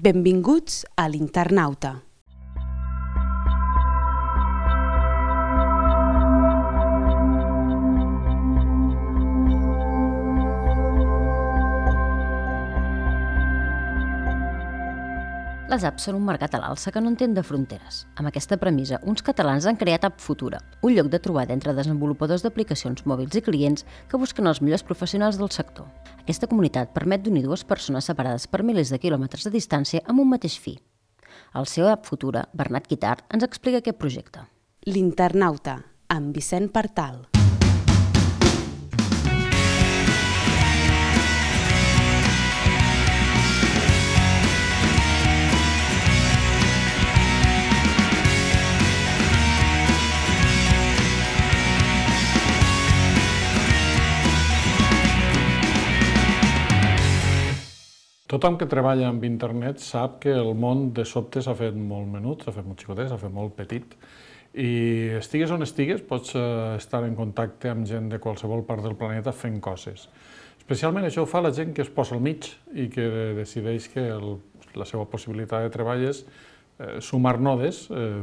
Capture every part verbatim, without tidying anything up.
Benvinguts a l'Internauta. Les apps són un mercat a l'alça que no entén de fronteres. Amb aquesta premissa, uns catalans han creat App Futura, un lloc de trobada entre desenvolupadors d'aplicacions mòbils i clients que busquen els millors professionals del sector. Aquesta comunitat permet d'unir dues persones separades per milers de quilòmetres de distància amb un mateix fi. El C E O d'App Futura, Bernat Guitart, ens explica aquest projecte. L'Internauta, amb Vicent Partal. Tothom que treballa amb internet sap que el món de sobte s'ha fet molt menut, s'ha fet molt xicotet, s'ha fet molt petit, i estigues on estigues pots estar en contacte amb gent de qualsevol part del planeta fent coses. Especialment això ho fa la gent que es posa al mig i que decideix que el, la seva possibilitat de treball és eh, sumar nodes, eh,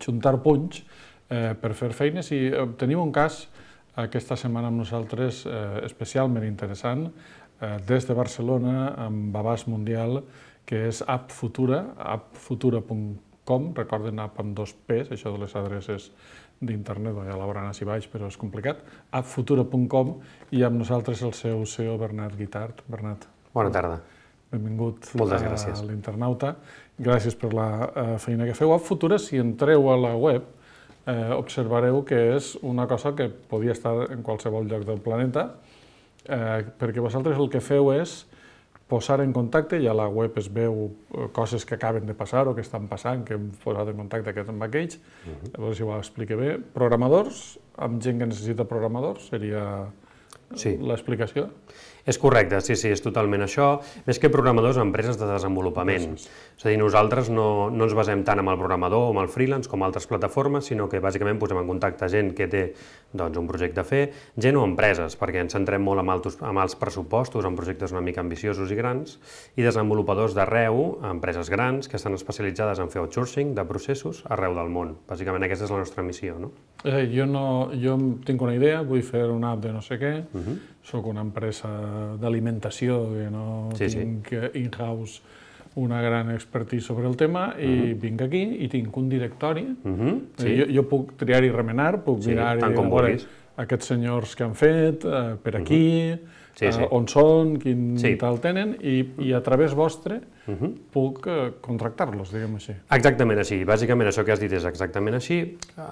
juntar punys eh, per fer feines, i eh, tenim un cas aquesta setmana amb nosaltres eh, especialment interessant, des de Barcelona, amb abast mundial, que és App Futura, app futura punt com, recorden app amb dos P's, això de les adreces d'internet, ja la veuran així baix, però és complicat, app futura punt com, i amb nosaltres el seu C E O, Bernat Guitart. Bernat. Bona tarda. Benvingut Moltes gràcies. a l'Internauta. Gràcies per la feina que feu. App Futura, si entreu a la web, eh, observareu que és una cosa que podia estar en qualsevol lloc del planeta, Eh, perquè vosaltres el que feu és posar en contacte, i a la web es veu coses que acaben de passar o que estan passant, que hem posat en contacte aquests amb aquells, uh-huh. A veure si ho explique bé. Programadors, amb gent que necessita programadors, seria sí. l'explicació? És correcte, sí, sí, és totalment això. Més que programadors, empreses de desenvolupament. Gràcies. És a dir, nosaltres no, no ens basem tant en el programador o en el freelance com altres plataformes, sinó que bàsicament posem en contacte gent que té doncs, un projecte a fer, gent o empreses, perquè ens centrem molt en, altos, en els pressupostos, en projectes una mica ambiciosos i grans, i desenvolupadors d'arreu, empreses grans, que estan especialitzades en fer outsourcing de processos arreu del món. Bàsicament aquesta és la nostra missió, no? Eh, jo, no, jo tinc una idea, vull fer una app de no sé què, uh-huh. Soc una empresa d'alimentació, que no sí, tinc sí. in-house una gran expertise sobre el tema, i uh-huh. vinc aquí i tinc un directori. Uh-huh. sí. jo, jo puc triar i remenar, puc sí, mirar i veure aquests senyors que han fet, eh, per aquí, uh-huh. sí, sí. Eh, on són, quin sí. tal tenen, i, i a través vostre uh-huh. puc eh, contractar-los, diguem així. Exactament així. Bàsicament això que has dit és exactament així.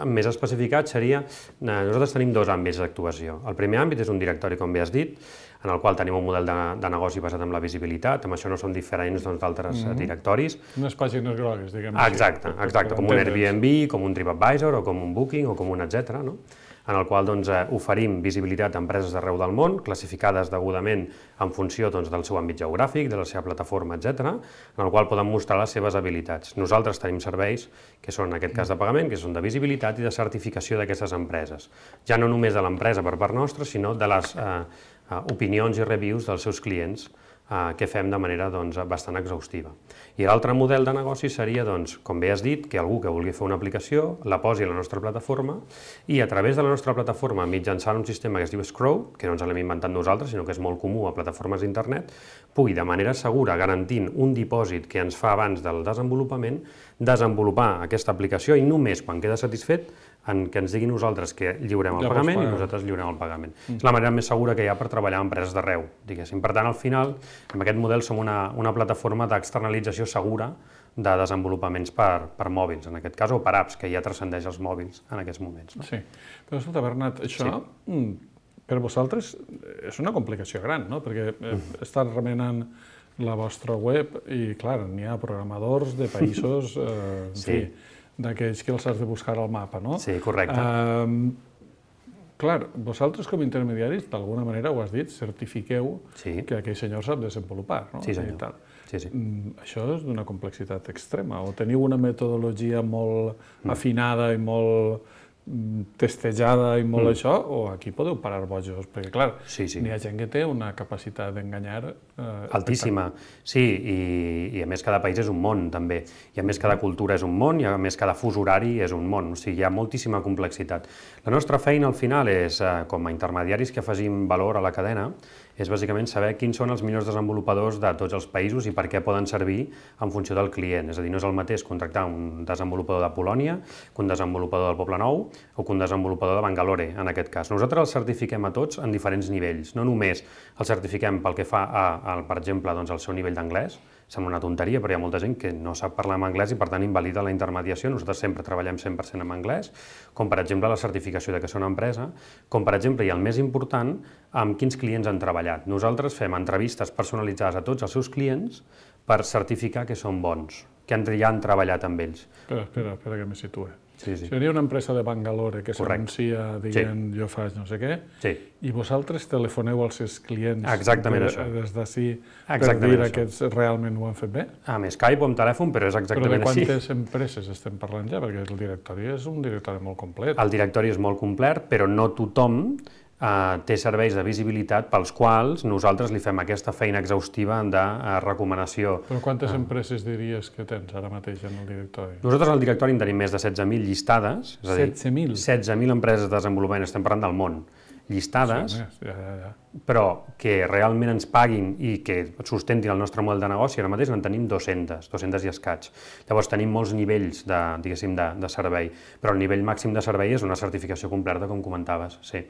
Més especificat seria, nosaltres tenim dos àmbits d'actuació. El primer àmbit és un directori, com bé has dit, en el qual tenim un model de, de negoci basat en la visibilitat, amb això no són diferents d'altres doncs, mm-hmm. directoris. Unes pàgines grogues, diguem així. Exacte, exacte, com un Airbnb, com un TripAdvisor, o com un Booking, o com un etcètera, no? En el qual doncs, oferim visibilitat a empreses d'arreu del món, classificades degudament en funció doncs, del seu àmbit geogràfic, de la seva plataforma, etcètera, en el qual poden mostrar les seves habilitats. Nosaltres tenim serveis que són, en aquest cas de pagament, que són de visibilitat i de certificació d'aquestes empreses. Ja no només de l'empresa per part nostra, sinó de les eh, opinions i reviews dels seus clients, eh, que fem de manera doncs, bastant exhaustiva. I l'altre model de negoci seria, doncs, com bé has dit, que algú que vulgui fer una aplicació la posi a la nostra plataforma i a través de la nostra plataforma, mitjançant un sistema que es diu Scroll, que no ens l'hem inventat nosaltres, sinó que és molt comú a plataformes d'internet, pugui de manera segura, garantint un dipòsit que ens fa abans del desenvolupament, desenvolupar aquesta aplicació i només quan queda satisfet en que ens diguin nosaltres que lliurem el ja pagament i nosaltres lliurem el pagament. Mm. És la manera més segura que hi ha per treballar amb empreses d'arreu, diguéssim. Per tant, al final, amb aquest model som una, una plataforma d'externalització segura de desenvolupaments per, per mòbils, en aquest cas, o per apps, que ja transcendeix els mòbils en aquests moments. No? Sí, però escolta, Bernat, això sí. per vosaltres és una complicació gran, no? Perquè mm. estar remenant la vostra web i, clar, n'hi ha programadors de països, eh, en sí. fi, d'aquells que els has de buscar al mapa, no? Sí, correcte. Uh, clar, vosaltres com a intermediaris, d'alguna manera, ho has dit, certifiqueu sí. que aquell senyor sap desenvolupar, no? Sí, senyor. Tal. Sí, sí. Mm, això és d'una complexitat extrema, o teniu una metodologia molt mm. afinada i molt testejada i molt mm. això, o aquí podeu parar bojos, perquè clar, sí, sí. n'hi ha gent que té una capacitat d'enganyar eh, altíssima, sí, i, i a més cada país és un món també, i a més cada cultura és un món, i a més cada fus horari és un món, o sigui, hi ha moltíssima complexitat. La nostra feina al final és, eh, com a intermediaris que afegim valor a la cadena, és bàsicament saber quins són els millors desenvolupadors de tots els països i per què poden servir en funció del client. És a dir, no és el mateix contractar un desenvolupador de Polònia que un desenvolupador del Poble Nou o que un desenvolupador de Bangalore, en aquest cas. Nosaltres els certifiquem a tots en diferents nivells. No només els certifiquem pel que fa a, a per exemple, doncs, al seu nivell d'anglès, sembla una tonteria, però hi ha molta gent que no sap parlar en anglès i per tant invalida la intermediació. Nosaltres sempre treballem cent per cent en anglès, com per exemple la certificació de que són una empresa, com per exemple, i el més important, amb quins clients han treballat. Nosaltres fem entrevistes personalitzades a tots els seus clients per certificar que són bons, que ja han treballat amb ells. Espera, espera, espera que me situe. Sí, sí. Seria una empresa de Bangalore que s'anuncia dient sí. jo faig no sé què, sí. i vosaltres telefoneu als seus clients exactament de, això. des d'ací per exactament dir això. que realment ho han fet bé? Amb Skype o amb telèfon, però és exactament així. Però de quantes així. empreses estem parlant ja? Perquè el directori és un directori molt complet. El directori és molt complet, però no tothom Uh, té serveis de visibilitat pels quals nosaltres li fem aquesta feina exhaustiva de uh, recomanació. Però quantes uh. empreses diries que tens ara mateix en el directori? Nosaltres al directori en tenim més de setze mil llistades, és a dir, setze mil? setze mil empreses de desenvolupament, estem parlant del món, llistades, sí, ja, ja, ja. però que realment ens paguin i que sustentin el nostre model de negoci, ara mateix en tenim dues-centes, dues-centes i escaig. Llavors tenim molts nivells de, diguéssim, de, de servei, però el nivell màxim de servei és una certificació completa, com comentaves. Sí.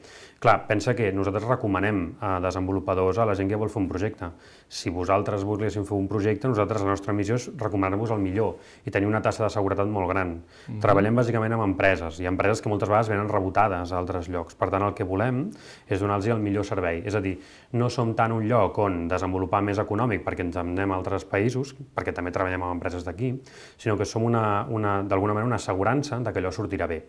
Clar, pensa que nosaltres recomanem a desenvolupadors a la gent que vol fer un projecte. Si vosaltres volguéssim fer un projecte, nosaltres la nostra missió és recomanar-vos el millor i tenir una tassa de seguretat molt gran. Mm-hmm. Treballem bàsicament amb empreses, i empreses que moltes vegades venen rebotades a altres llocs. Per tant, el que volem és donar-los el millor servei. És a dir, no som tant un lloc on desenvolupar més econòmic perquè ens anem a altres països, perquè també treballem amb empreses d'aquí, sinó que som una, una, d'alguna manera una assegurança de que allò sortirà bé.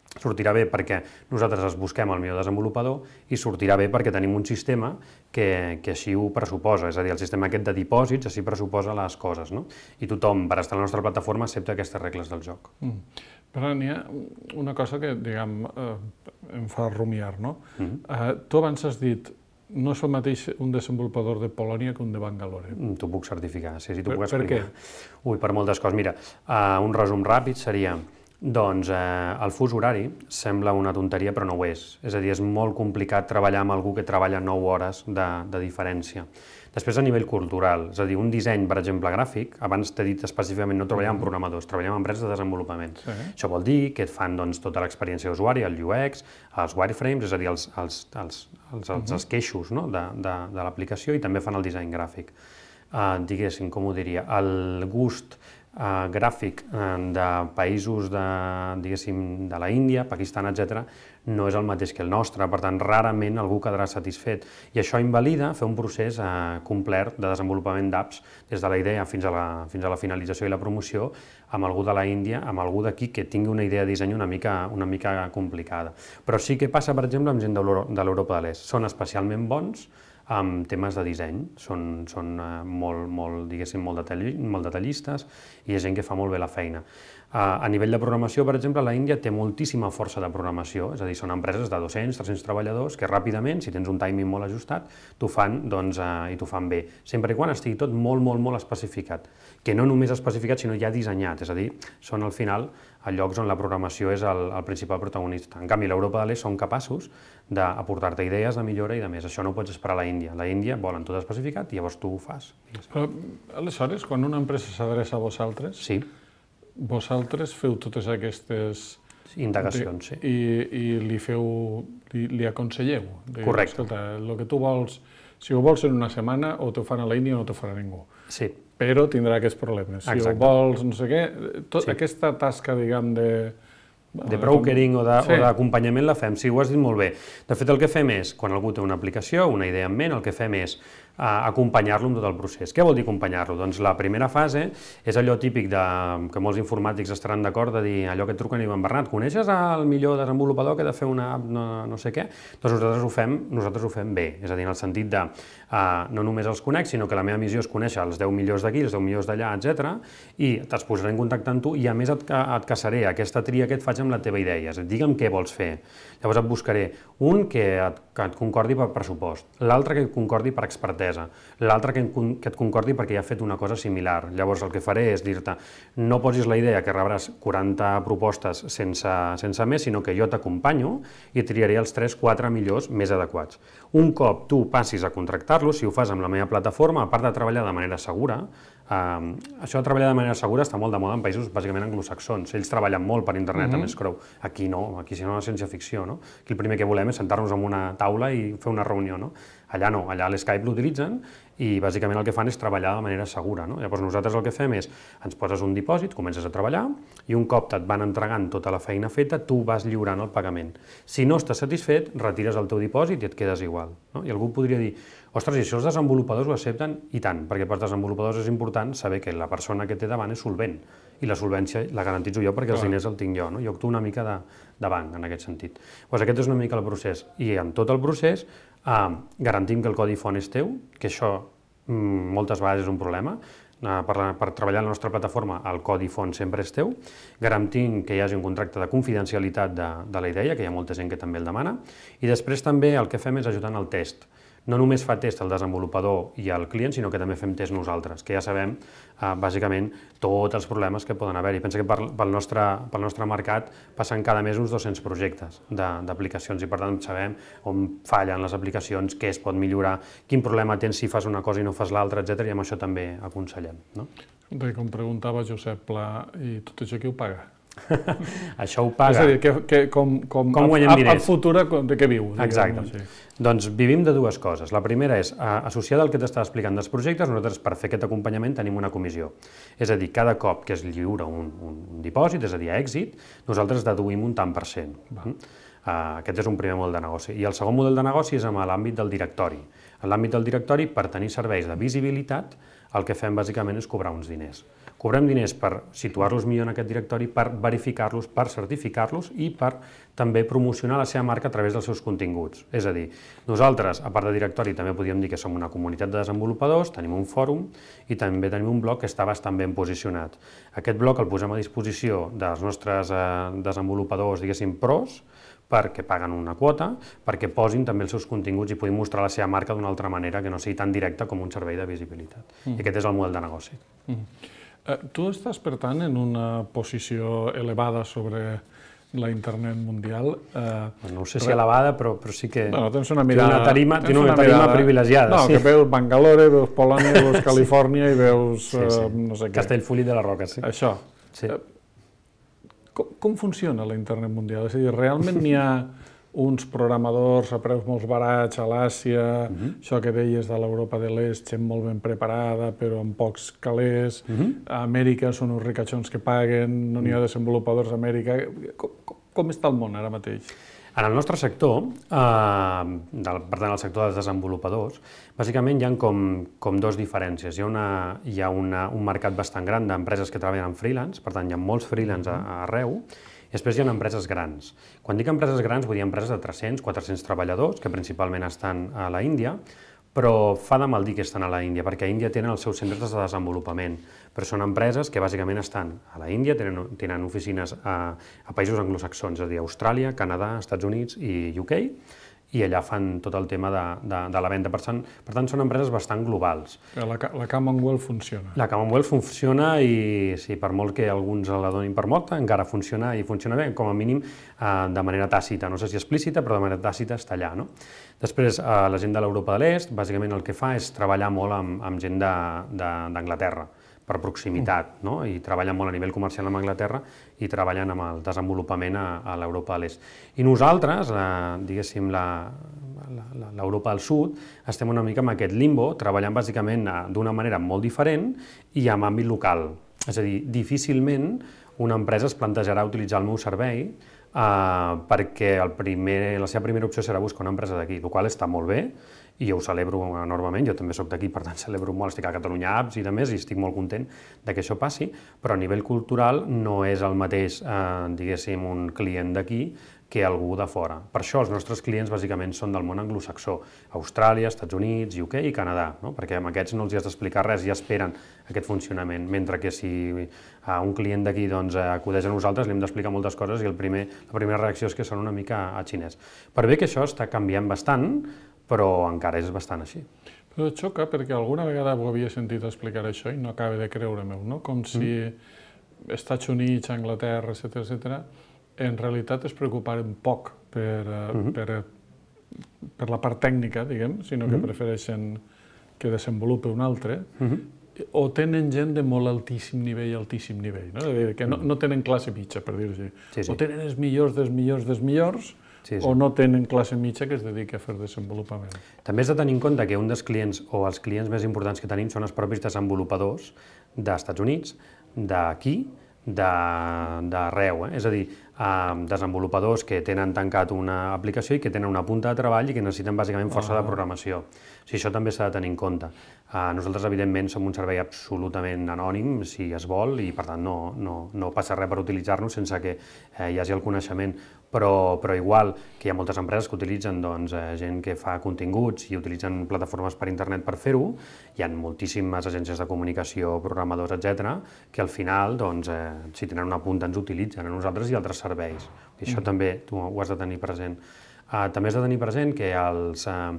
Sortirà bé perquè nosaltres es busquem el millor desenvolupador i sortirà bé perquè tenim un sistema que, que així ho pressuposa, és a dir, el sistema aquest de dipòsits així pressuposa les coses, no? I tothom, per estar a la nostra plataforma, accepta aquestes regles del joc. Mm. Però n'hi ha una cosa que, diguem, eh, em fa rumiar, no? Mm-hmm. eh, tu abans has dit no és el mateix un desenvolupador de Polònia que un de Bangalore. T'ho puc certificar, sí, sí, t'ho puc explicar. Per què? Ui, per moltes coses. Mira, uh, un resum ràpid seria, doncs, eh, el fus horari sembla una tonteria, però no ho és. És a dir, és molt complicat treballar amb algú que treballa nou hores de, de diferència. Després, a nivell cultural, és a dir, un disseny, per exemple, gràfic, abans t'he dit específicament no treballem amb programadors, treballem amb empreses de desenvolupament. Sí. Això vol dir que et fan doncs, tota l'experiència d'usuari, el U X, els wireframes, és a dir, els, els, els, els, els uh-huh. esqueixos, no? de, de, de l'aplicació, i també fan el disseny gràfic. Uh, diguéssim, com ho diria, el gust Uh, gràfic uh, de països de, diguéssim, de la Índia, Pakistan, etcètera, no és el mateix que el nostre, per tant, rarament algú quedarà satisfet. I això invalida fer un procés uh, complet de desenvolupament d'apps des de la idea fins a la, fins a la finalització i la promoció amb algú de la Índia, amb algú d'aquí que tingui una idea de disseny una mica, una mica complicada. Però sí que passa, per exemple, amb gent de l'Europa de l'Est. Són especialment bons amb temes de disseny, són, són uh, molt, molt, diguéssim, molt, detalli, molt detallistes i hi ha gent que fa molt bé la feina. Uh, a nivell de programació, per exemple, la Índia té moltíssima força de programació, és a dir, són empreses de dos-cents, tres-cents treballadors que ràpidament, si tens un timing molt ajustat, t'ho fan, doncs, uh, i t'ho fan bé, sempre i quan estigui tot molt, molt, molt especificat, que no només especificat, sinó ja dissenyat, és a dir, són al final a llocs on la programació és el, el principal protagonista. En canvi, l'Europa de l'Est són capaços d'aportar-te idees de millora i de més. Això no ho pots esperar a la Índia. La Índia volen tot especificat i llavors tu ho fas. Però, aleshores, quan una empresa s'adreça a vosaltres, sí. vosaltres feu totes aquestes indagacions, sí. I, i li feu, li, li aconselleu. Correcte. Escolta, el que tu vols, si ho vols en una setmana, o t'ho fan a la Índia o no t'ho farà ningú. Sí. Però tindrà aquests problemes. Si Exacte. ho vols, no sé què, tot, sí. aquesta tasca, diguem, de... de brokering o d'acompanyament sí. la fem, sí, ho has dit molt bé. De fet, el que fem és, quan algú té una aplicació, una idea en ment, el que fem és acompanyar-lo en tot el procés. Què vol dir acompanyar-lo? Doncs la primera fase és allò típic de, que molts informàtics estaran d'acord de dir allò que et truquen i diuen Bernat, coneixes el millor desenvolupador que ha de fer una app no, no sé què? Doncs nosaltres ho fem, nosaltres ho fem bé, és a dir, en el sentit de uh, no només els conec, sinó que la meva missió és conèixer els deu millors d'aquí, els deu millors d'allà, etcètera, i t'es posaré en contacte amb tu i a més et, et caçaré aquesta tria que et faig amb la teva idea, és a dir, digue'm què vols fer. Llavors et buscaré un que et, que et concordi per pressupost, l'altre que et concordi per expertesa, l'altre que, que et concordi perquè ja ha fet una cosa similar. Llavors el que faré és dir-te, no posis la idea que rebràs quaranta propostes sense, sense més, sinó que jo t'acompanyo i triaré els tres quatre millors més adequats. Un cop tu passis a contractar-los, si ho fas amb la meva plataforma, a part de treballar de manera segura, Uh, això de treballar de manera segura està molt de moda en països bàsicament anglosaxons. Ells treballen molt per internet, mm-hmm. amb Scrow. Aquí no, aquí si no és ciència-ficció, no? Aquí el primer que volem és sentar-nos en una taula i fer una reunió, no? Allà no, allà l'Skype l'utilitzen i bàsicament el que fan és treballar de manera segura, no? Llavors nosaltres el que fem és, ens poses un dipòsit, comences a treballar i un cop et van entregant tota la feina feta, tu vas lliurant el pagament. Si no estàs satisfet, retires el teu dipòsit i et quedes igual, no? I algú podria dir, ostres, i això els desenvolupadors ho accepten? I tant, perquè pels desenvolupadors és important saber que la persona que té davant és solvent i la solvència la garantitzo jo perquè els diners el tinc jo, no? Jo actuo una mica de, de banc en aquest sentit. Doncs aquest és una mica el procés i en tot el procés eh, garantim que el codi font és teu, que això mm, moltes vegades és un problema. Uh, per, la, per treballar a la nostra plataforma el codi font sempre és teu, garantim que hi hagi un contracte de confidencialitat de, de la idea, que hi ha molta gent que també el demana, i després també el que fem és ajudar en el test. No només fa test el desenvolupador i el client, sinó que també fem test nosaltres, que ja sabem, eh, bàsicament, tots els problemes que poden haver-hi. Pensa que pel, pel, nostre, pel nostre mercat passen cada mes uns dos-cents projectes d'aplicacions i, per tant, sabem on fallen les aplicacions, què es pot millorar, quin problema tens si fas una cosa i no fas l'altra, etcètera, i amb això també aconsellem. No? Com preguntava Josep Pla, i tot això qui ho paga? Això ho paga. És a dir, que, que, com, com, com guanyem diners? El futur de què viu? Exacte. Sí. Doncs vivim de dues coses. La primera és, associada al que t'estava explicant dels projectes, nosaltres per fer aquest acompanyament tenim una comissió. És a dir, cada cop que es lliura un, un, un dipòsit, és a dir, èxit, nosaltres deduïm un tant per cent. Uh, aquest és un primer model de negoci. I el segon model de negoci és en l'àmbit del directori. En l'àmbit del directori, per tenir serveis de visibilitat, el que fem bàsicament és cobrar uns diners. Cobrem diners per situar-los millor en aquest directori, per verificar-los, per certificar-los i per també promocionar la seva marca a través dels seus continguts. És a dir, nosaltres, a part de directori, també podríem dir que som una comunitat de desenvolupadors, tenim un fòrum i també tenim un blog que està bastant ben posicionat. Aquest blog el posem a disposició dels nostres eh, desenvolupadors, diguéssim, pros, perquè paguen una quota, perquè posin també els seus continguts i puguin mostrar la seva marca d'una altra manera que no sigui tan directa com un servei de visibilitat. Mm. I aquest és el model de negoci. Mm. Uh, tu estàs, per tant, en una posició elevada sobre la internet mundial. Uh, no sé si elevada, però, però sí que bueno, tens una mirada, una tarima, tens una una tarima mirada, privilegiada. No, sí. Que veus Bangalore, veus Polònia, veus Califòrnia i veus sí, sí. Uh, no sé què. Castellfollit de la Roca, sí. Això. Sí. Uh, com, com funciona la internet mundial? És a dir, realment n'hi ha uns programadors a preus molt barats a l'Àsia, uh-huh. això que deies de l'Europa de l'Est, gent molt ben preparada, però amb pocs calés, uh-huh. a Amèrica són uns ricachons que paguen, no n'hi ha desenvolupadors a Amèrica. Com, com, com està el món ara mateix? En el nostre sector, eh, del, per tant, el sector dels desenvolupadors, bàsicament hi ha com, com dos diferències. Hi ha, una, hi ha una, un mercat bastant gran d'empreses que treballen en freelance, per tant, hi ha molts freelance a, arreu, i després hi ha empreses grans. Quan dic empreses grans, vull dir empreses de tres-cents, quatre-cents treballadors, que principalment estan a la Índia, però fa de mal dir que estan a la Índia, perquè a Índia tenen els seus centres de desenvolupament, però són empreses que bàsicament estan a la Índia, tenen, tenen oficines a, a països anglosaxons, és a dir, Austràlia, Canadà, Estats Units i U K, i allà fan tot el tema de, de, de la venda. Per tant, per tant, són empreses bastant globals. La, la Commonwealth funciona. La Commonwealth funciona i, sí, per molt que alguns la donin per morta, encara funciona i funciona bé, com a mínim eh, de manera tàcita. No sé si explícita, però de manera tàcita està allà. No? Després, eh, la gent de l'Europa de l'Est, bàsicament el que fa és treballar molt amb, amb gent d'Anglaterra, per proximitat, no? I treballen molt a nivell comercial amb Anglaterra i treballen amb el desenvolupament a, a l'Europa de l'Est. I nosaltres, la, diguéssim, l'Europa del Sud, estem una mica en aquest limbo, treballant bàsicament d'una manera molt diferent i amb àmbit local. És a dir, difícilment una empresa es plantejarà utilitzar el meu servei uh, perquè el primer, la seva primera opció serà buscar una empresa d'aquí, el qual està molt bé, i jo ho celebro enormement, jo també soc d'aquí, per tant celebro molt, estic a Catalunya Apps i de més, i estic molt content de que això passi, però a nivell cultural no és el mateix, eh, diguéssim, un client d'aquí que algú de fora. Per això els nostres clients bàsicament són del món anglosaxó, Austràlia, Estats Units, U K i Canadà, no? Perquè amb aquests no els has d'explicar res, ja esperen aquest funcionament, mentre que si a un client d'aquí doncs, acudeix a nosaltres li hem d'explicar moltes coses i el primer, la primera reacció és que són una mica a xinès. Per bé que això està canviant bastant, però encara és bastant així. Però et xoca perquè alguna vegada ho havia sentit explicar això i no acaba de creure-m'ho, no? Com si mm. Estats Units, Anglaterra, etcètera, etcètera, en realitat es preocuparen poc per, mm-hmm. per, per la part tècnica, diguem, sinó que mm-hmm. prefereixen que desenvolupi un altre, mm-hmm. o tenen gent de molt altíssim nivell, altíssim nivell, no? Que no, no tenen classe mitja, per dir-ho així. Sí, sí. O tenen els millors dels millors dels millors, sí, sí. o no tenen classe mitja que es dediqui a fer desenvolupament. També has de tenir en compte que un dels clients, o els clients més importants que tenim, són els propis desenvolupadors d'Estats Units, d'aquí, d'arreu, eh? És a dir, eh, desenvolupadors que tenen tancat una aplicació i que tenen una punta de treball i que necessiten bàsicament força ah. de programació. O sigui, això també s'ha de tenir en compte. Eh, nosaltres, evidentment, som un servei absolutament anònim, si es vol, i per tant no, no, no passa res per utilitzar-nos sense que eh, hi hagi el coneixement, però, però igual que hi ha moltes empreses que utilitzen doncs, eh, gent que fa continguts i utilitzen plataformes per internet per fer-ho, hi ha moltíssimes agències de comunicació, programadors, etcètera, que al final, doncs, eh, si tenen una punta, ens utilitzen a nosaltres i altres serveis. I això mm. també tu ho has de tenir present. Uh, també has de tenir present que els, uh,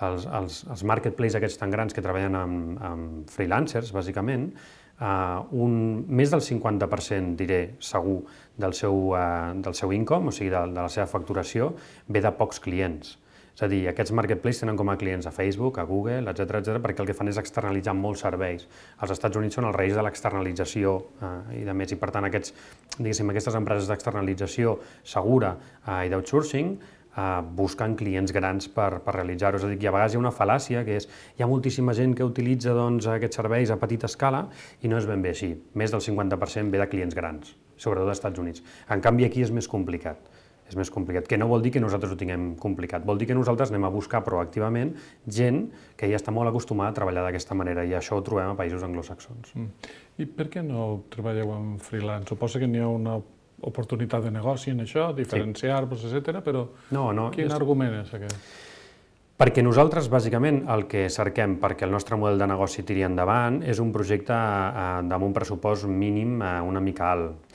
els, els, els marketplaces aquests tan grans que treballen amb, amb freelancers, bàsicament, uh, un, més del cinquanta per cent, diré, segur, del seu, uh, del seu income, o sigui, de, de la seva facturació, ve de pocs clients. És a dir, aquests marketplaces tenen com a clients a Facebook, a Google, etcètera, etcètera, perquè el que fan és externalitzar molts serveis. Els Estats Units són els reis de l'externalització eh, i de més, i per tant aquests, diguéssim, aquestes empreses d'externalització segura eh, i d'outsourcing eh, busquen clients grans per, per realitzar-ho. És a dir, que a vegades hi ha una fal·làcia que és hi ha moltíssima gent que utilitza doncs, aquests serveis a petita escala i no és ben bé així. Més del cinquanta per cent ve de clients grans, sobretot dels Estats Units. En canvi, aquí és més complicat. És més complicat, que no vol dir que nosaltres ho tinguem complicat, vol dir que nosaltres anem a buscar proactivament gent que ja està molt acostumada a treballar d'aquesta manera i això ho trobem a països anglosaxons. Mm. I per què no treballeu amb freelance? Suposa que n'hi ha una oportunitat de negoci en això, diferenciar-vos, sí. etcètera, però no, no, quin és... argument és aquest? Perquè nosaltres, bàsicament, el que cerquem perquè el nostre model de negoci tiri endavant és un projecte eh, amb un pressupost mínim eh, una mica alt.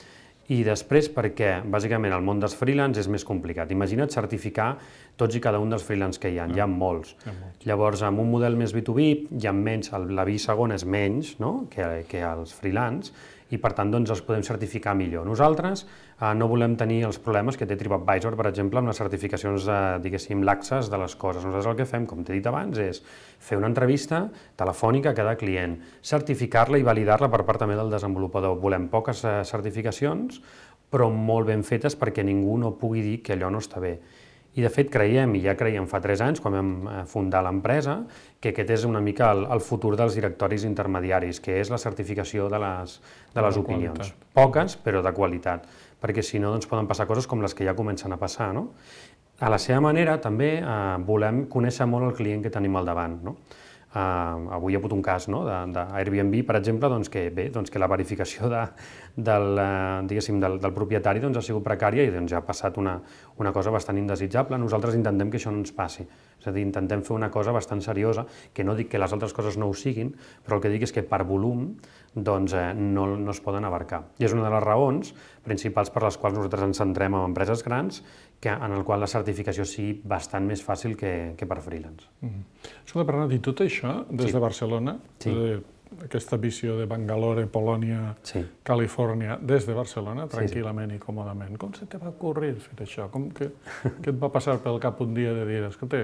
I després perquè, bàsicament, el món dels freelance és més complicat. Imagina't certificar tots i cada un dels freelance que hi ha, hi ha molts. Hi ha molts. Llavors, amb un model més B dos B, hi ha menys, la B segona és menys no? que, que els freelance, i per tant doncs, els podem certificar millor. Nosaltres eh, no volem tenir els problemes que té TripAdvisor, per exemple, amb les certificacions, eh, diguéssim, laxes de les coses. Nosaltres el que fem, com t'he dit abans, és fer una entrevista telefònica a cada client, certificar-la i validar-la per part també del desenvolupador. Volem poques eh, certificacions, però molt ben fetes perquè ningú no pugui dir que allò no està bé. I de fet creiem, i ja creiem fa tres anys, quan vam fundar l'empresa, que aquest és una mica el, el futur dels directoris intermediaris, que és la certificació de les, de les opinions. Qualitat. Poques, però de qualitat, perquè si no doncs, poden passar coses com les que ja comencen a passar. No? A la seva manera també eh, volem conèixer molt el client que tenim al davant. No? Uh, avui hi ha hagut un cas no? d'Airbnb, per exemple, doncs que, bé, doncs que la verificació de, del, uh, diguéssim, del, del propietari doncs, ha sigut precària i doncs, ja ha passat una, una cosa bastant indesitjable. Nosaltres intentem que això no ens passi. És a dir, intentem fer una cosa bastant seriosa, que no dic que les altres coses no ho siguin, però el que dic és que per volum doncs, eh, no, no es poden abarcar. I és una de les raons principals per les quals nosaltres ens centrem en empreses grans, que, en el qual la certificació sigui bastant més fàcil que, que per freelance. Mm-hmm. Escolta, Bernat, i tot això, des sí. de Barcelona, sí. de, aquesta visió de Bangalore, Polònia, sí. Califòrnia, des de Barcelona, tranquil·lament sí, sí. i còmodament, com se te va ocorrir fer això? Com que, que et va passar pel cap un dia de dir, escolta,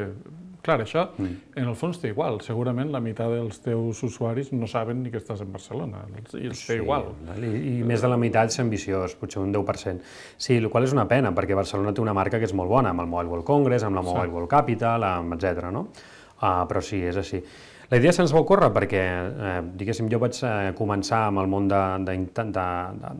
clar, això, mm. en el fons té igual. Segurament la meitat dels teus usuaris no saben ni que estàs en Barcelona, i els té sí, igual. I, I més de la meitat és ambiciós, potser un deu per cent. Sí, el qual és una pena, perquè Barcelona té una marca que és molt bona, amb el Mobile World Congress, amb la Mobile sí. World Capital, amb etcètera. No? Uh, però sí, és així. La idea se'ns va ocórrer perquè, eh, diguéssim, jo vaig eh, començar amb el món de, de, de, de,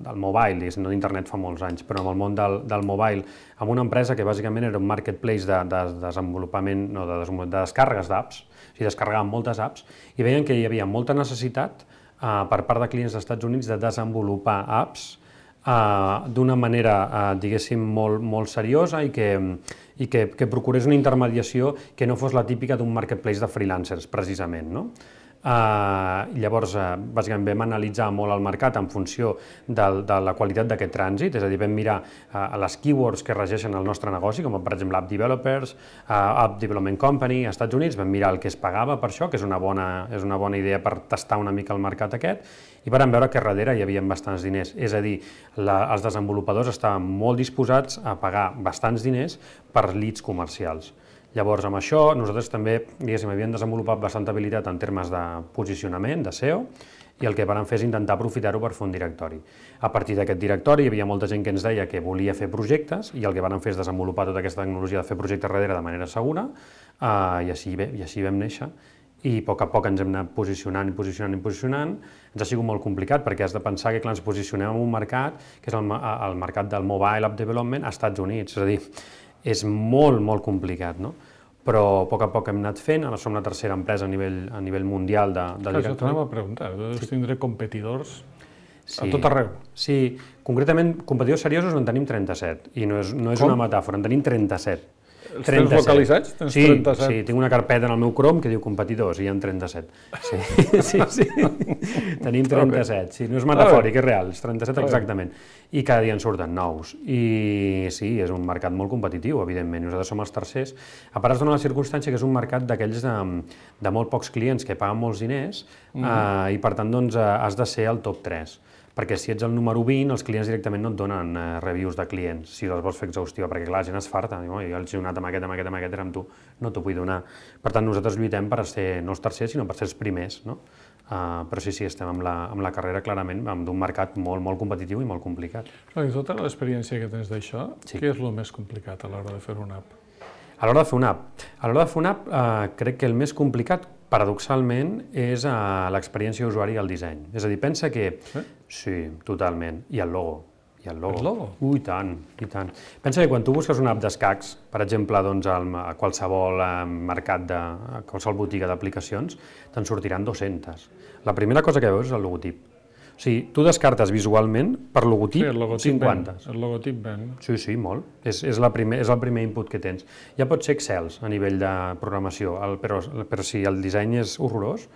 del mobile, diguéssim, no d'internet fa molts anys, però amb el món del, del mobile, amb una empresa que bàsicament era un marketplace de, de desenvolupament, no, de, de descàrregues d'apps, o sigui, descarregaven moltes apps, i veien que hi havia molta necessitat eh, per part de clients dels Estats Units de desenvolupar apps Uh, d'una manera, uh, diguéssim, molt, molt seriosa i, que, i que, que procurés una intermediació que no fos la típica d'un marketplace de freelancers, precisament, no? Uh, llavors, uh, bàsicament, vam analitzar molt el mercat en funció del, de la qualitat d'aquest trànsit, és a dir, vam mirar uh, les keywords que regeixen el nostre negoci, com per exemple App Developers, uh, App Development Company, als Estats Units, vam mirar el que es pagava per això, que és una bona, és una bona idea per tastar una mica el mercat aquest, i vam veure que darrere hi havia bastants diners, és a dir, la, els desenvolupadors estaven molt disposats a pagar bastants diners per leads comercials. Llavors, amb això, nosaltres també, diguéssim, havíem desenvolupat bastanta habilitat en termes de posicionament, de S E O, i el que vam fer és intentar aprofitar-ho per fer un directori. A partir d'aquest directori hi havia molta gent que ens deia que volia fer projectes, i el que vam fer és desenvolupar tota aquesta tecnologia de fer projectes darrere de manera segura, eh, i, així, i així vam néixer. I a poc a poc ens hem anat posicionant i posicionant i posicionant. Ens ha sigut molt complicat perquè has de pensar que clar, ens posicionem en un mercat que és el, el mercat del mobile app development als Estats Units, és a dir, és molt, molt complicat, no? Però a poc a poc hem anat fent, ara som la tercera empresa a nivell, a nivell mundial de, de directori. Això t'anava a preguntar, deus sí. tindre competidors sí. a tot arreu. Sí, concretament, competidors seriosos en tenim trenta-set, i no és, no és una metàfora, en tenim trenta-set. Els tens localitzats? Tens sí, trenta-set? Sí, tinc una carpeta en el meu Chrome que diu competidors i hi ha trenta-set. Sí, sí, sí. Tenim trenta-set, sí, no és metafòric, és real, és trenta-set exactament. I cada dia en surten nous. I sí, és un mercat molt competitiu, evidentment, nosaltres som els tercers. A part es dona la circumstància que és un mercat d'aquells de, de molt pocs clients que paguen molts diners mm. eh, i per tant doncs, has de ser el top tres. Perquè si ets el número vint, els clients directament no et donen eh, reviews de clients, si les vols fer exhaustiva, perquè clar, la gent es farta, diu, jo els he donat amb aquest, amb aquest, amb aquest, amb tu, no t'ho vull donar. Per tant, nosaltres lluitem per ser no els tercers, sinó per ser els primers, no? Uh, però sí, sí, estem amb la, amb la carrera clarament d'un mercat molt, molt competitiu i molt complicat. I tota l'experiència que tens d'això, sí. què és el més complicat a l'hora de fer una app? A l'hora de fer una app? A l'hora de fer una app, eh, crec que el més complicat, paradoxalment, és eh, l'experiència d'usuari i el disseny. És a dir, pensa que... Sí? Sí, totalment. I el logo. I el logo. El logo? Ui, tant, i tant. Pensa que quan tu busques una app d'escacs, per exemple, doncs, a qualsevol eh, mercat, de, a qualsevol botiga d'aplicacions, te'n sortiran dues-centes. La primera cosa que veus és el logotip. O sigui, tu descartes visualment per logotip, sí, el logotip cinquanta. Ben. El logotip ben. Sí, sí, molt. És, és, la primer, és el primer input que tens. Ja pot ser Excel a nivell de programació, el, però, però si el disseny és horrorós,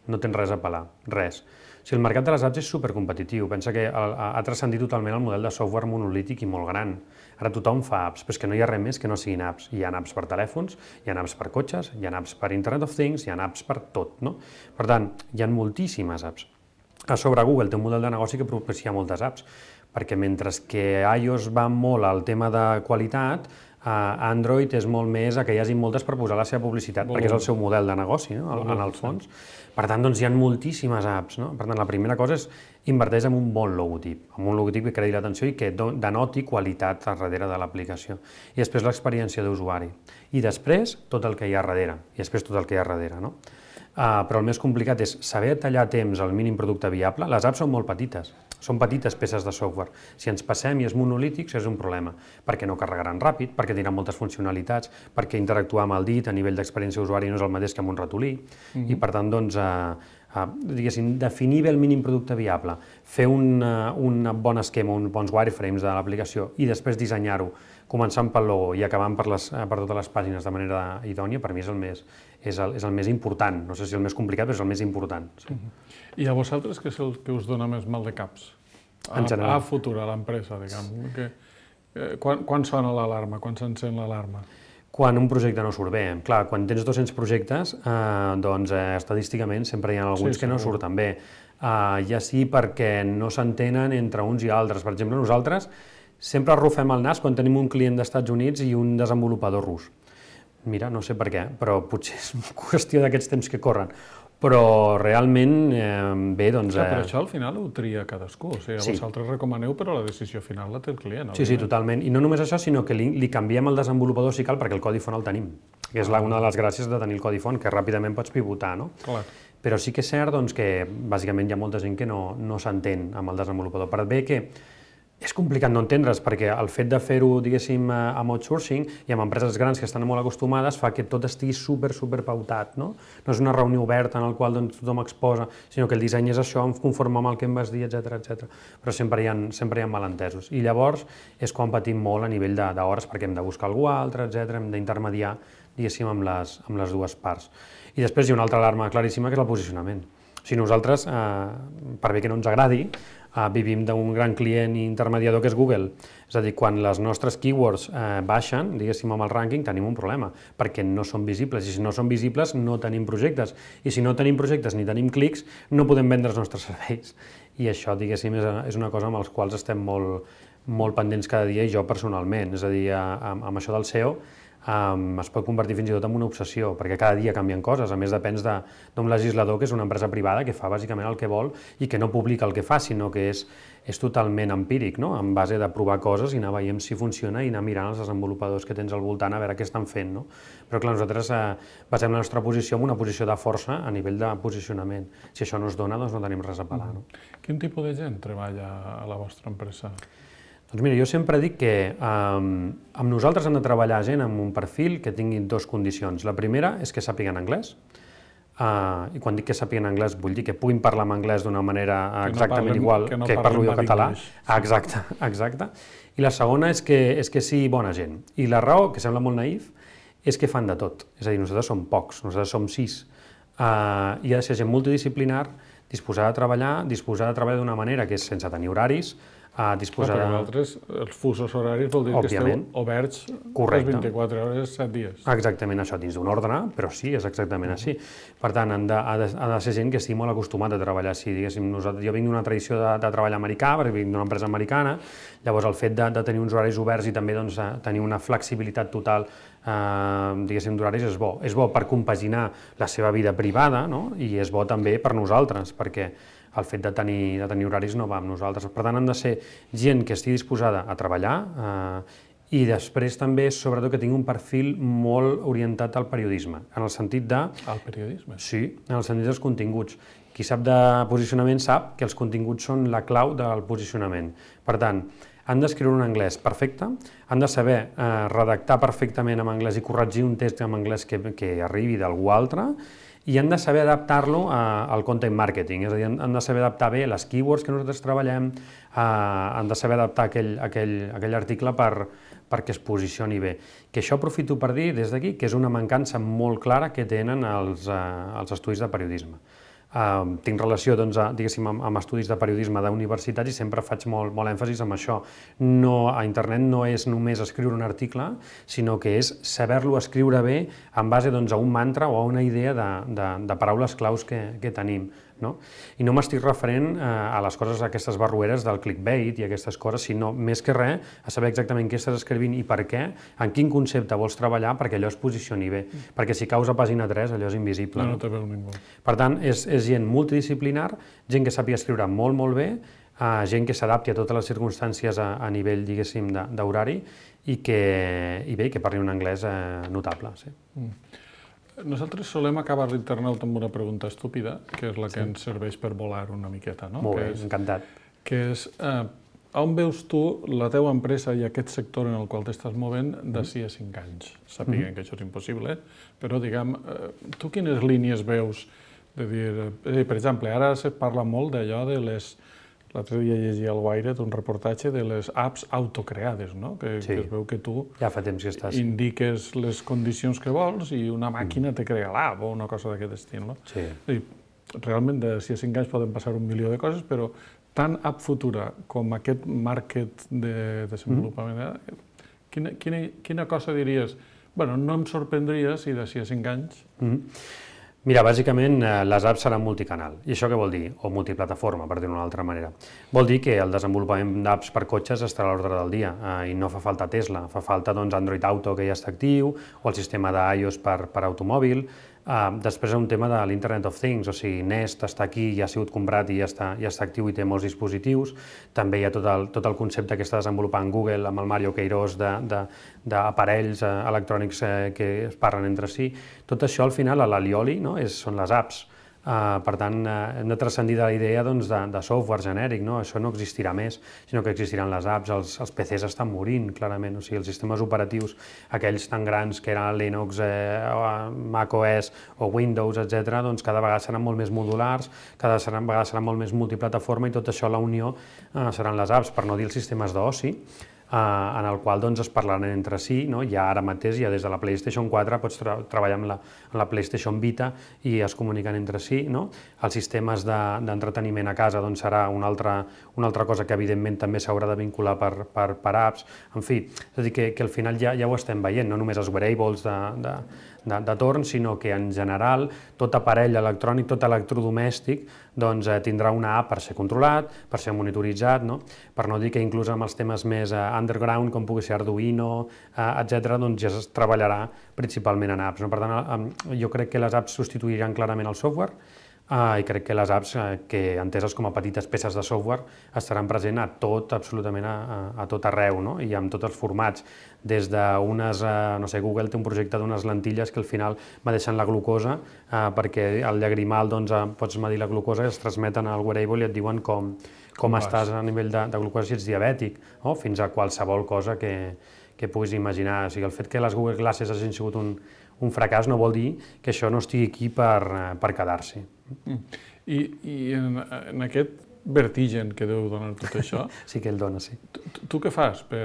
no tens res a pelar, res. O sigui, el mercat de les apps és supercompetitiu. Pensa que ha, ha transcendit totalment el model de software monolític i molt gran. Ara tothom fa apps, però és que no hi ha res més que no siguin apps. Hi ha apps per telèfons, hi ha apps per cotxes, hi ha apps per Internet of Things, hi ha apps per tot, no? Per tant, hi ha moltíssimes apps. A sobre Google té un model de negoci que propicia moltes apps, perquè mentre que iOS va molt al tema de qualitat, Android és molt més a que hi hagi moltes per posar la seva publicitat, molt perquè és el seu model de negoci, no? En el fons. Per tant, doncs, hi ha moltíssimes apps, no? Per tant, la primera cosa és inverteix en un bon logotip, en un logotip que credi l'atenció i que denoti qualitat a darrere de l'aplicació. I després l'experiència d'usuari. I després tot el que hi ha darrere. I després tot el que hi ha darrere, no? Uh, però el més complicat és saber tallar a temps el mínim producte viable. Les apps són molt petites, són petites peces de software. Si ens passem i és monolític, és un problema, perquè no carregaran ràpid, perquè tindran moltes funcionalitats, perquè interactuar amb el dit a nivell d'experiència d'usuari no és el mateix que amb un ratolí, mm-hmm. i per tant, doncs, uh, uh, diguéssim, definir bé el mínim producte viable, fer un, uh, un bon esquema, uns bons wireframes de l'aplicació i després dissenyar-ho, començant pel logo i acabant per, les, per totes les pàgines de manera idònia, per mi és el més, és el, és el més important. No sé si el més complicat, però és el més important. Sí. Uh-huh. I a vosaltres què és el que us dona més mal de caps? A, en general. A futur, a l'empresa, diguem. Que, eh, quan, quan sona l'alarma? Quan s'encén l'alarma? Quan un projecte no surt bé. Clar, quan tens dos-cents projectes, eh, doncs eh, estadísticament sempre hi ha alguns sí, que no surten bé. Eh, ja sí perquè no s'entenen entre uns i altres. Per exemple, nosaltres sempre arrufem el nas quan tenim un client dels Estats Units i un desenvolupador rus. Mira, no sé per què, però potser és qüestió d'aquests temps que corren. Però realment, eh, bé, doncs... Clar, però això al final ho tria cadascú, o sigui, sí. vosaltres recomaneu, però la decisió final la té el client. Sí, sí, totalment. I no només això, sinó que li, li canviem el desenvolupador si cal, perquè el codi font el tenim. que és una de les gràcies de tenir el codi font, que ràpidament pots pivotar, no? Clar. Però sí que és cert doncs, que bàsicament hi ha molta gent que no, no s'entén amb el desenvolupador. Per bé que és complicat no entendre's, perquè el fet de fer-ho, diguéssim, amb outsourcing i amb empreses grans que estan molt acostumades fa que tot estigui super, super pautat, no? No és una reunió oberta en la qual doncs, tothom exposa, sinó que el disseny és això, conforme amb el que em vas dir, etcètera, etcètera. Però sempre hi ha, sempre hi ha malentesos. I llavors és quan patim molt a nivell d'hores, perquè hem de buscar algú altre, etcètera, hem d'intermediar, diguéssim, amb les, amb les dues parts. I després hi ha una altra alarma claríssima, que és el posicionament. O sigui, nosaltres, eh, per bé que no ens agradi, Uh, vivim d'un gran client i intermediador que és Google. És a dir, quan les nostres keywords uh, baixen, diguéssim, amb el rànquing, tenim un problema, perquè no són visibles, i si no són visibles no tenim projectes, i si no tenim projectes ni tenim clics, no podem vendre els nostres serveis. I això, diguéssim, és, és una cosa amb els quals estem molt, molt pendents cada dia, i jo personalment. És a dir, amb, amb això del S E O, Um, es pot convertir fins i tot en una obsessió, perquè cada dia canvien coses. A més, depèn d'un legislador que és una empresa privada que fa bàsicament el que vol i que no publica el que fa, sinó que és, és totalment empíric, no? En base de provar coses i anar veient si funciona i anar mirant els desenvolupadors que tens al voltant a veure què estan fent, no? Però clar, nosaltres eh, basem la nostra posició en una posició de força a nivell de posicionament. Si això no es dona, doncs no tenim res a pelar, no? Quin tipus de gent treballa a la vostra empresa? Doncs mira, jo sempre dic que um, amb nosaltres hem de treballar gent amb un perfil que tingui dues condicions. La primera és que sàpiguen anglès, uh, i quan dic que sàpiguen anglès vull dir que puguin parlar en anglès d'una manera exactament igual que, no que parlo jo català. Ah, exacte, exacte. I la segona és que, és que sigui bona gent. I la raó, que sembla molt naïf, és que fan de tot. És a dir, nosaltres som pocs, nosaltres som sis. Uh, I ha de ser gent multidisciplinar, disposada a treballar, disposada a treballar d'una manera que és sense tenir horaris, a disposar... Però vosaltres, els fusos horaris vol dir Òbviament. que esteu oberts Correcte. les vint-i-quatre hores, set dies. Exactament això, dins d'un ordre, però sí, és exactament així. Per tant, han de, ha, de, ha de ser gent que estigui molt acostumat a treballar així. Diguéssim, nosaltres, jo vinc d'una tradició de, de treball americà, perquè vinc d'una empresa americana, llavors el fet de, de tenir uns horaris oberts i també doncs, tenir una flexibilitat total eh, diguéssim, d'horaris és bo. És bo per compaginar la seva vida privada, no? I és bo també per nosaltres, perquè el fet de tenir, de tenir horaris no va amb nosaltres. Per tant, han de ser gent que estigui disposada a treballar eh, i després també, sobretot, que tingui un perfil molt orientat al periodisme, en el sentit de... Al periodisme? Sí, en el sentit dels continguts. Qui sap de posicionament sap que els continguts són la clau del posicionament. Per tant, han d'escriure un anglès perfecte, han de saber eh, redactar perfectament en anglès i corregir un text en anglès que, que arribi d'algú altre, i han de saber adaptar-lo al content marketing, és a dir, han de saber adaptar bé les keywords que nosaltres treballem, eh, han de saber adaptar aquell, aquell, aquell article per, perquè es posicioni bé. Que això aprofito per dir des d'aquí que és una mancança molt clara que tenen els, eh, els estudis de periodisme. Uh, tinc relació doncs, a, diguéssim, amb, amb estudis de periodisme d'universitats i sempre faig molt, molt èmfasis en això. No, a internet no és només escriure un article, sinó que és saber-lo escriure bé en base doncs, a un mantra o a una idea de, de, de paraules claus que, que tenim. No? I no m'estic referent eh, a les coses, aquestes barrueres del clickbait i aquestes coses, sinó més que res a saber exactament què estàs escrivint i per què, en quin concepte vols treballar perquè allò es posicioni bé, mm. perquè si caus a pàgina tres allò és invisible. No, no te veu ningú. Per tant, és, és gent multidisciplinar, gent que sàpiga escriure molt, molt bé, eh, gent que s'adapti a totes les circumstàncies a, a nivell, diguéssim, d'horari i que, i bé, que parli un anglès eh, notable. Sí. Mm. Nosaltres solem acabar l'internauta amb una pregunta estúpida, que és la que sí. ens serveix per volar una miqueta, no? Molt que bé, és, encantat. Que és, eh, on veus tu la teva empresa i aquest sector en el qual t'estàs movent d'ací a cinc anys? Sapiguem mm-hmm. que això és impossible, però diguem, eh, tu quines línies veus de dir... Eh, per exemple, ara se parla molt d'allò de les... L'altre dia llegia al Wired un reportatge de les apps autocreades, no? Que, sí. que es veu que tu ja fa temps que estàs. indiques les condicions que vols i una màquina mm. te crea l'app o una cosa d'aquest estil, no? Sí. I realment, de si a cinc anys poden passar un milió de coses, però tant app futura com aquest market de desenvolupament, mm. quina, quina, quina cosa diries? Bueno, no em sorprendria si d'ací a cinc anys... Mm. Mira, bàsicament les apps seran multicanal. I això què vol dir? O multiplataforma, per dir-ho d'una altra manera. Vol dir que el desenvolupament d'apps per cotxes estarà a l'ordre del dia eh, i no fa falta Tesla, fa falta doncs, Android Auto, que ja està actiu, o el sistema d'iOS per, per automòbil. Després, un tema de l'Internet of Things, o sigui, Nest està aquí, ja ha sigut comprat i ja està, ja està actiu i té molts dispositius. També hi ha tot el, tot el concepte que està desenvolupant Google amb el Mario Queiroz d'aparells electrònics que es parlen entre si. Tot això, al final, a l'Alioli, no? és, són les apps. Uh, per tant, uh, hem de transcendir de la idea doncs, de, de software genèric, no? Això no existirà més, sinó que existiran les apps, els, els P Cs estan morint, clarament, o sigui, els sistemes operatius, aquells tan grans que eren Linux, eh, macOS o Windows, etcètera, doncs cada vegada seran molt més modulars, cada vegada seran molt més multiplataforma i tot això, la unió, uh, seran les apps, per no dir els sistemes d'oci, Uh, en el qual doncs, es parlaran entre si, no? Ja ara mateix, ja des de la PlayStation quatre, pots tra treballar amb la, amb la PlayStation Vita i es comuniquen entre si. No? Els sistemes d'entreteniment de, a casa doncs, serà una altra, una altra cosa que evidentment també s'haurà de vincular per, per, per apps. En fi, és a dir, que, que al final ja, ja ho estem veient, no només els wearables de, de, de, de torn, sinó que en general tot aparell electrònic, tot electrodomèstic, doncs, eh, tindrà una app per ser controlat, per ser monitoritzat, no? Per no dir que inclús amb els temes més eh, underground, com pugui ser Arduino, eh, etcètera, doncs ja es treballarà principalment en apps. No? Per tant, eh, jo crec que les apps substituiran clarament el software, Uh, i crec que les apps, uh, que enteses com a petites peces de software, estaran presents a tot, absolutament a, a, a tot arreu, no? I amb tots els formats, des d'unes, uh, no sé, Google té un projecte d'unes lentilles que al final medeixen la glucosa, uh, perquè al llagrimal doncs, uh, pots medir la glucosa i es transmeten al wearable i et diuen com, com, com estàs a nivell de, de glucosa, si ets diabètic, no? Fins a qualsevol cosa que, que puguis imaginar. O sigui, el fet que les Google Glasses hagin sigut un, un fracàs no vol dir que això no estigui aquí per, per quedar-s'hi. Mm. I, i en, en aquest vertigen que deu donar tot això... Sí que el dona, sí. Tu, tu què fas? Per,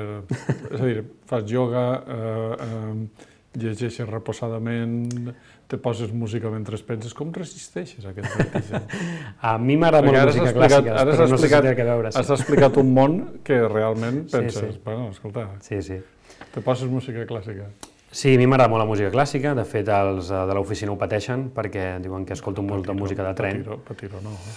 és a dir, fas ioga, eh, eh, llegeixes reposadament, te poses música mentre penses, com resisteixes a aquest vertigen? A mi m'agrada molt la música clàssica, però no sé si té que veure. Has explicat un món que realment penses, sí, sí. bueno, escolta, sí, sí. te poses música clàssica. Sí, a mi m'agrada molt la música clàssica, de fet els de l'oficina ho pateixen perquè diuen que escolto molta música de tren. Patiro, patiro no. Eh?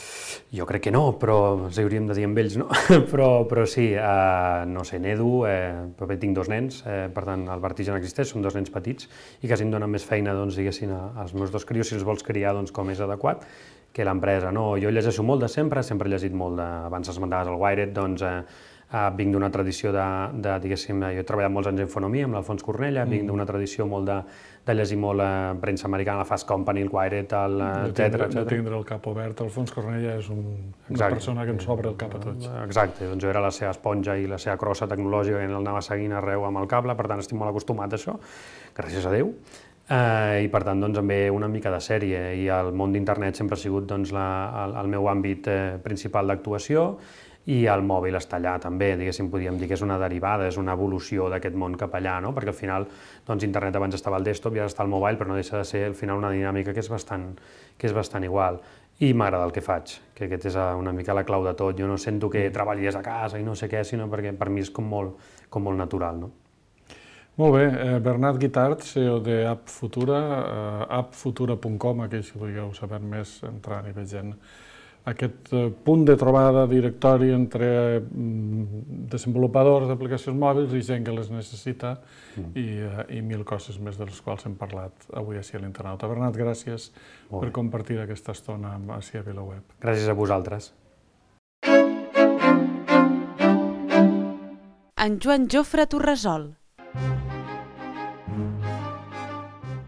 Jo crec que no, però els hauríem de dir amb ells, no? però, però sí, eh, no sé, nedo, eh, però tinc dos nens, eh, per tant el vertigen existeix, són dos nens petits i quasi em donen més feina, doncs, diguéssim, als meus dos crios, si els vols criar doncs, com és adequat, que l'empresa. No, jo llegeixo molt de sempre, sempre he llegit molt de, abans esmentaves el Wired, doncs, eh, Uh, vinc d'una tradició de, de, diguéssim, jo he treballat molts anys en infonomia amb l'Alfons Cornella, mm. vinc d'una tradició molt de, de llegir molt uh, premsa americana, la Fast Company, el Wired, el, uh, etcètera, etcètera. De tindre el cap obert, Alfons Cornella és un, una Exacte. persona que ens obre el cap a tots. Exacte, doncs jo era la seva esponja i la seva crossa tecnològica que el anava seguint arreu amb el cable, per tant estic molt acostumat a això, gràcies a Déu. Uh, I per tant doncs, també una mica de sèrie, i el món d'internet sempre ha sigut doncs, la, el, el meu àmbit eh, principal d'actuació, i el mòbil està allà també, diguéssim, podríem dir que és una derivada, és una evolució d'aquest món cap allà, no? Perquè al final doncs, internet abans estava al desktop i ara està al mobile, però no deixa de ser al final una dinàmica que és bastant, que és bastant igual. I m'agrada el que faig, que aquest és una mica la clau de tot. Jo no sento que treballis a casa i no sé què, sinó perquè per mi és com molt, com molt natural, no? Molt bé, eh, Bernat Guitart, C E O de App Futura, eh, app futura punt com, aquells que vulgueu saber més, entrar i vegent aquest punt de trobada, directori entre desenvolupadors d'aplicacions mòbils i gent que les necessita mm. i, i mil coses més de les quals hem parlat avui així a l'Internauta. Bernat, gràcies per compartir aquesta estona amb Així a VilaWeb. Gràcies a vosaltres. En Joan Jofre Torresol.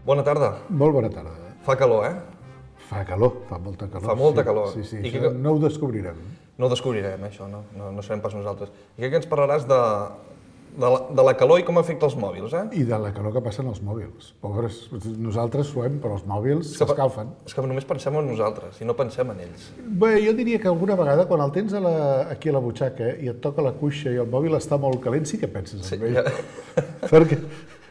Bona tarda. Molt bona tarda. Fa calor, eh? Fa calor, fa molta calor. Fa molta sí, calor. Sí, sí, I això que... no ho descobrirem. No ho descobrirem, això, no, no, no serem pas nosaltres. I crec que ens parlaràs de, de, la, de la calor i com afecta els mòbils, eh? I de la calor que passen els mòbils. Pobres, nosaltres suem, però els mòbils s'escalfen. És que només pensem en nosaltres i no pensem en ells. Bé, jo diria que alguna vegada, quan el tens a la, aquí a la butxaca i et toca la cuixa i el mòbil està molt calent, sí que penses en sí, ell. Ja... Perquè...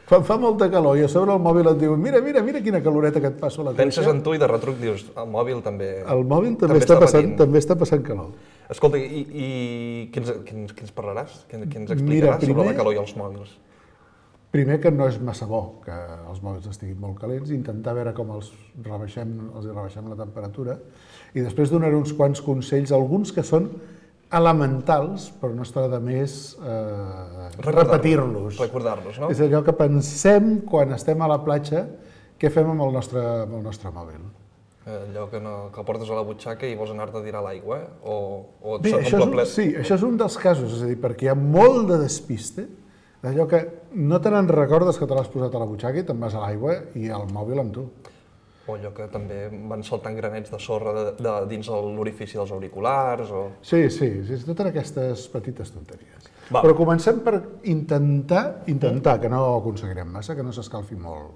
Quan fa molta calor i a sobre el mòbil et diu mira, mira, mira quina caloreta que et passo a la cuixa. Penses en tu i de retruc dius, el mòbil també... El mòbil també, també, està, passant, també està passant calor. Escolta, i, i què, ens, què, ens, què ens parlaràs? Què, què ens explicaràs mira, primer, sobre la calor i els mòbils? Primer que no és massa bo que els mòbils estiguin molt calents, intentar veure com els rebaixem, els rebaixem la temperatura i després donar uns quants consells, alguns que són elementals, però no està de més eh, repetir-los. Recordar-los, no? És allò que pensem quan estem a la platja què fem amb el nostre, amb el nostre mòbil? Allò que, no, que el portes a la butxaca i vols anar-te a tirar a l'aigua, eh? O, o et Bé, això és, un, sí, això és un dels casos, és a dir, perquè hi ha molt de despiste, d'allò que no te n'en recordes que te l'has posat a la butxaca i te'n vas a l'aigua i el mòbil amb tu. O allò que també van saltant granets de sorra de, de, dins l'orifici dels auriculars, o... Sí, sí, sí, totes aquestes petites tonteries. Va. Però comencem per intentar, intentar, que no ho aconseguirem massa, que no s'escalfi molt.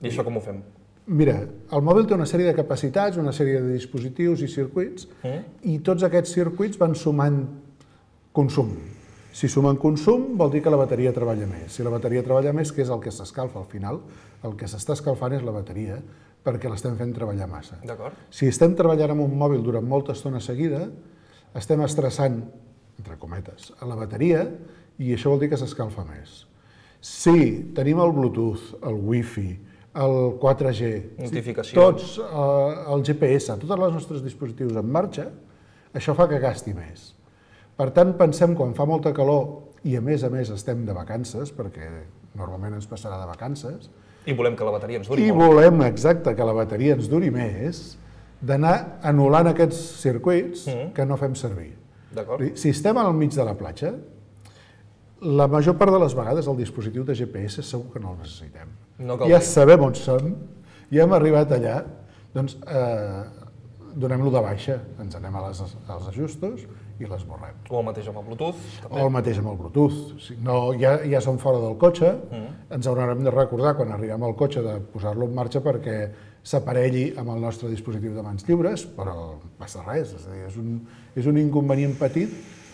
I això com ho fem? Mira, el mòbil té una sèrie de capacitats, una sèrie de dispositius i circuits, Mm. i tots aquests circuits van sumant consum. Si sumen consum, vol dir que la bateria treballa més. Si la bateria treballa més, què és el que s'escalfa al final? El que s'està escalfant és la bateria, perquè l'estem fent treballar massa. D'acord. Si estem treballant amb un mòbil durant molta estona seguida, estem estressant, entre cometes, a la bateria, i això vol dir que s'escalfa més. Si tenim el Bluetooth, el Wi-Fi, el quatre G, Notificacions. tots, eh, el G P S, tots els nostres dispositius en marxa, això fa que gasti més. Per tant, pensem quan fa molta calor i a més a més estem de vacances, perquè normalment ens passarà de vacances, I volem que la bateria ens duri i molt. volem, exacte, que la bateria ens duri més, d'anar anul·lant aquests circuits Mm. que no fem servir. D'acord? Si estem al mig de la platja, la major part de les vegades el dispositiu de G P S segur que no el necessitem. No cal Ja dir. sabem on som, ja hem arribat allà, doncs eh, donem-lo de baixa, ens anem a les, als ajustos i l'esborrem. O el mateix amb el Bluetooth. O el mateix amb el Bluetooth. Si no, ja, ja som fora del cotxe, Mm. ens haurem de recordar quan arribem al cotxe de posar-lo en marxa perquè s'aparelli amb el nostre dispositiu de mans lliures, però no passa res, és a dir, és un, és un inconvenient petit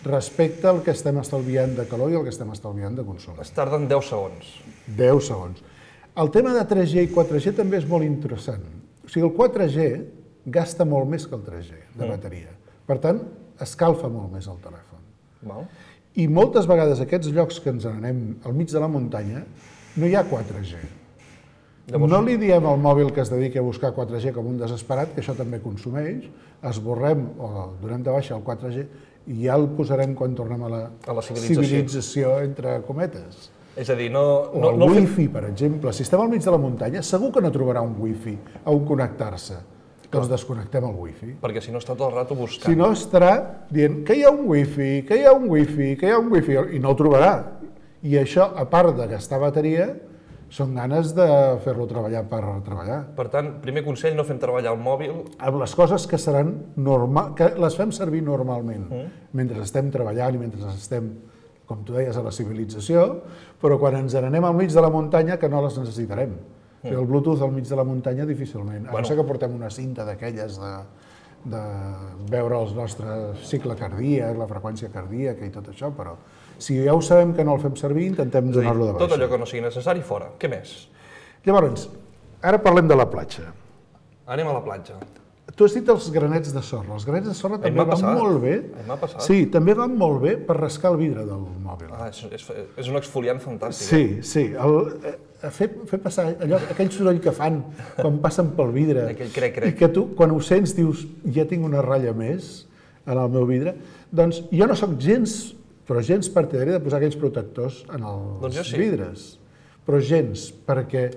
respecte al que estem estalviant de calor i el que estem estalviant de consum. Es tarden deu segons. deu segons. El tema de tres G i quatre G també és molt interessant. O sigui, el quatre G gasta molt més que el tres G de bateria. Per tant, escalfa molt més el telèfon. Val? I moltes vegades aquests llocs que ens n'anem al mig de la muntanya no hi ha quatre G. Llavors- No li diem al mòbil que es dediqui a buscar quatre G com un desesperat, que això també consumeix, esborrem o donem de baixa el quatre G i ja el posarem quan tornem a la, A la civilització. civilització, entre cometes. És a dir, no... O no, el no fem- wifi, per exemple. Si estem al mig de la muntanya, segur que no trobarà un wifi a on connectar-se. Doncs desconnectem el wifi. Perquè si no està tot el rato buscant. Si no, estarà dient que hi ha un wifi, que hi ha un wifi, que hi ha un wifi, i no el trobarà. I això, a part de gastar bateria, són ganes de fer-lo treballar per treballar. Per tant, primer consell, no fem treballar el mòbil. Amb les coses que seran normal, que les fem servir normalment, mentre estem treballant i mentre estem, com tu deies, a la civilització, però quan ens n'anem al mig de la muntanya que no les necessitarem. O sigui, el Bluetooth al mig de la muntanya difícilment. A no ser que portem una cinta d'aquelles de, de veure el nostre cicle cardíac, la freqüència cardíaca i tot això, però si ja ho sabem que no el fem servir, intentem És a dir, donar-lo de baixa. tot allò que no sigui necessari, fora. Què més? Llavors, ara parlem de la platja. Anem a la platja. Tu has dit els granets de sorra. Els granets de sorra també m'ha van passat. molt bé. A mi m'ha passat. Sí, també van molt bé per rascar el vidre del mòbil. Ah, és, és, és un exfoliant fantàstic. Sí, sí. El, eh, fer, fer passar allò, aquell soroll que fan quan passen pel vidre. Aquell crec-crec. I que tu, quan ho sents, dius, ja tinc una ratlla més en el meu vidre. Doncs jo no sóc gens, però gens partidari de posar aquells protectors en els Doncs jo sí. vidres. Però gens, perquè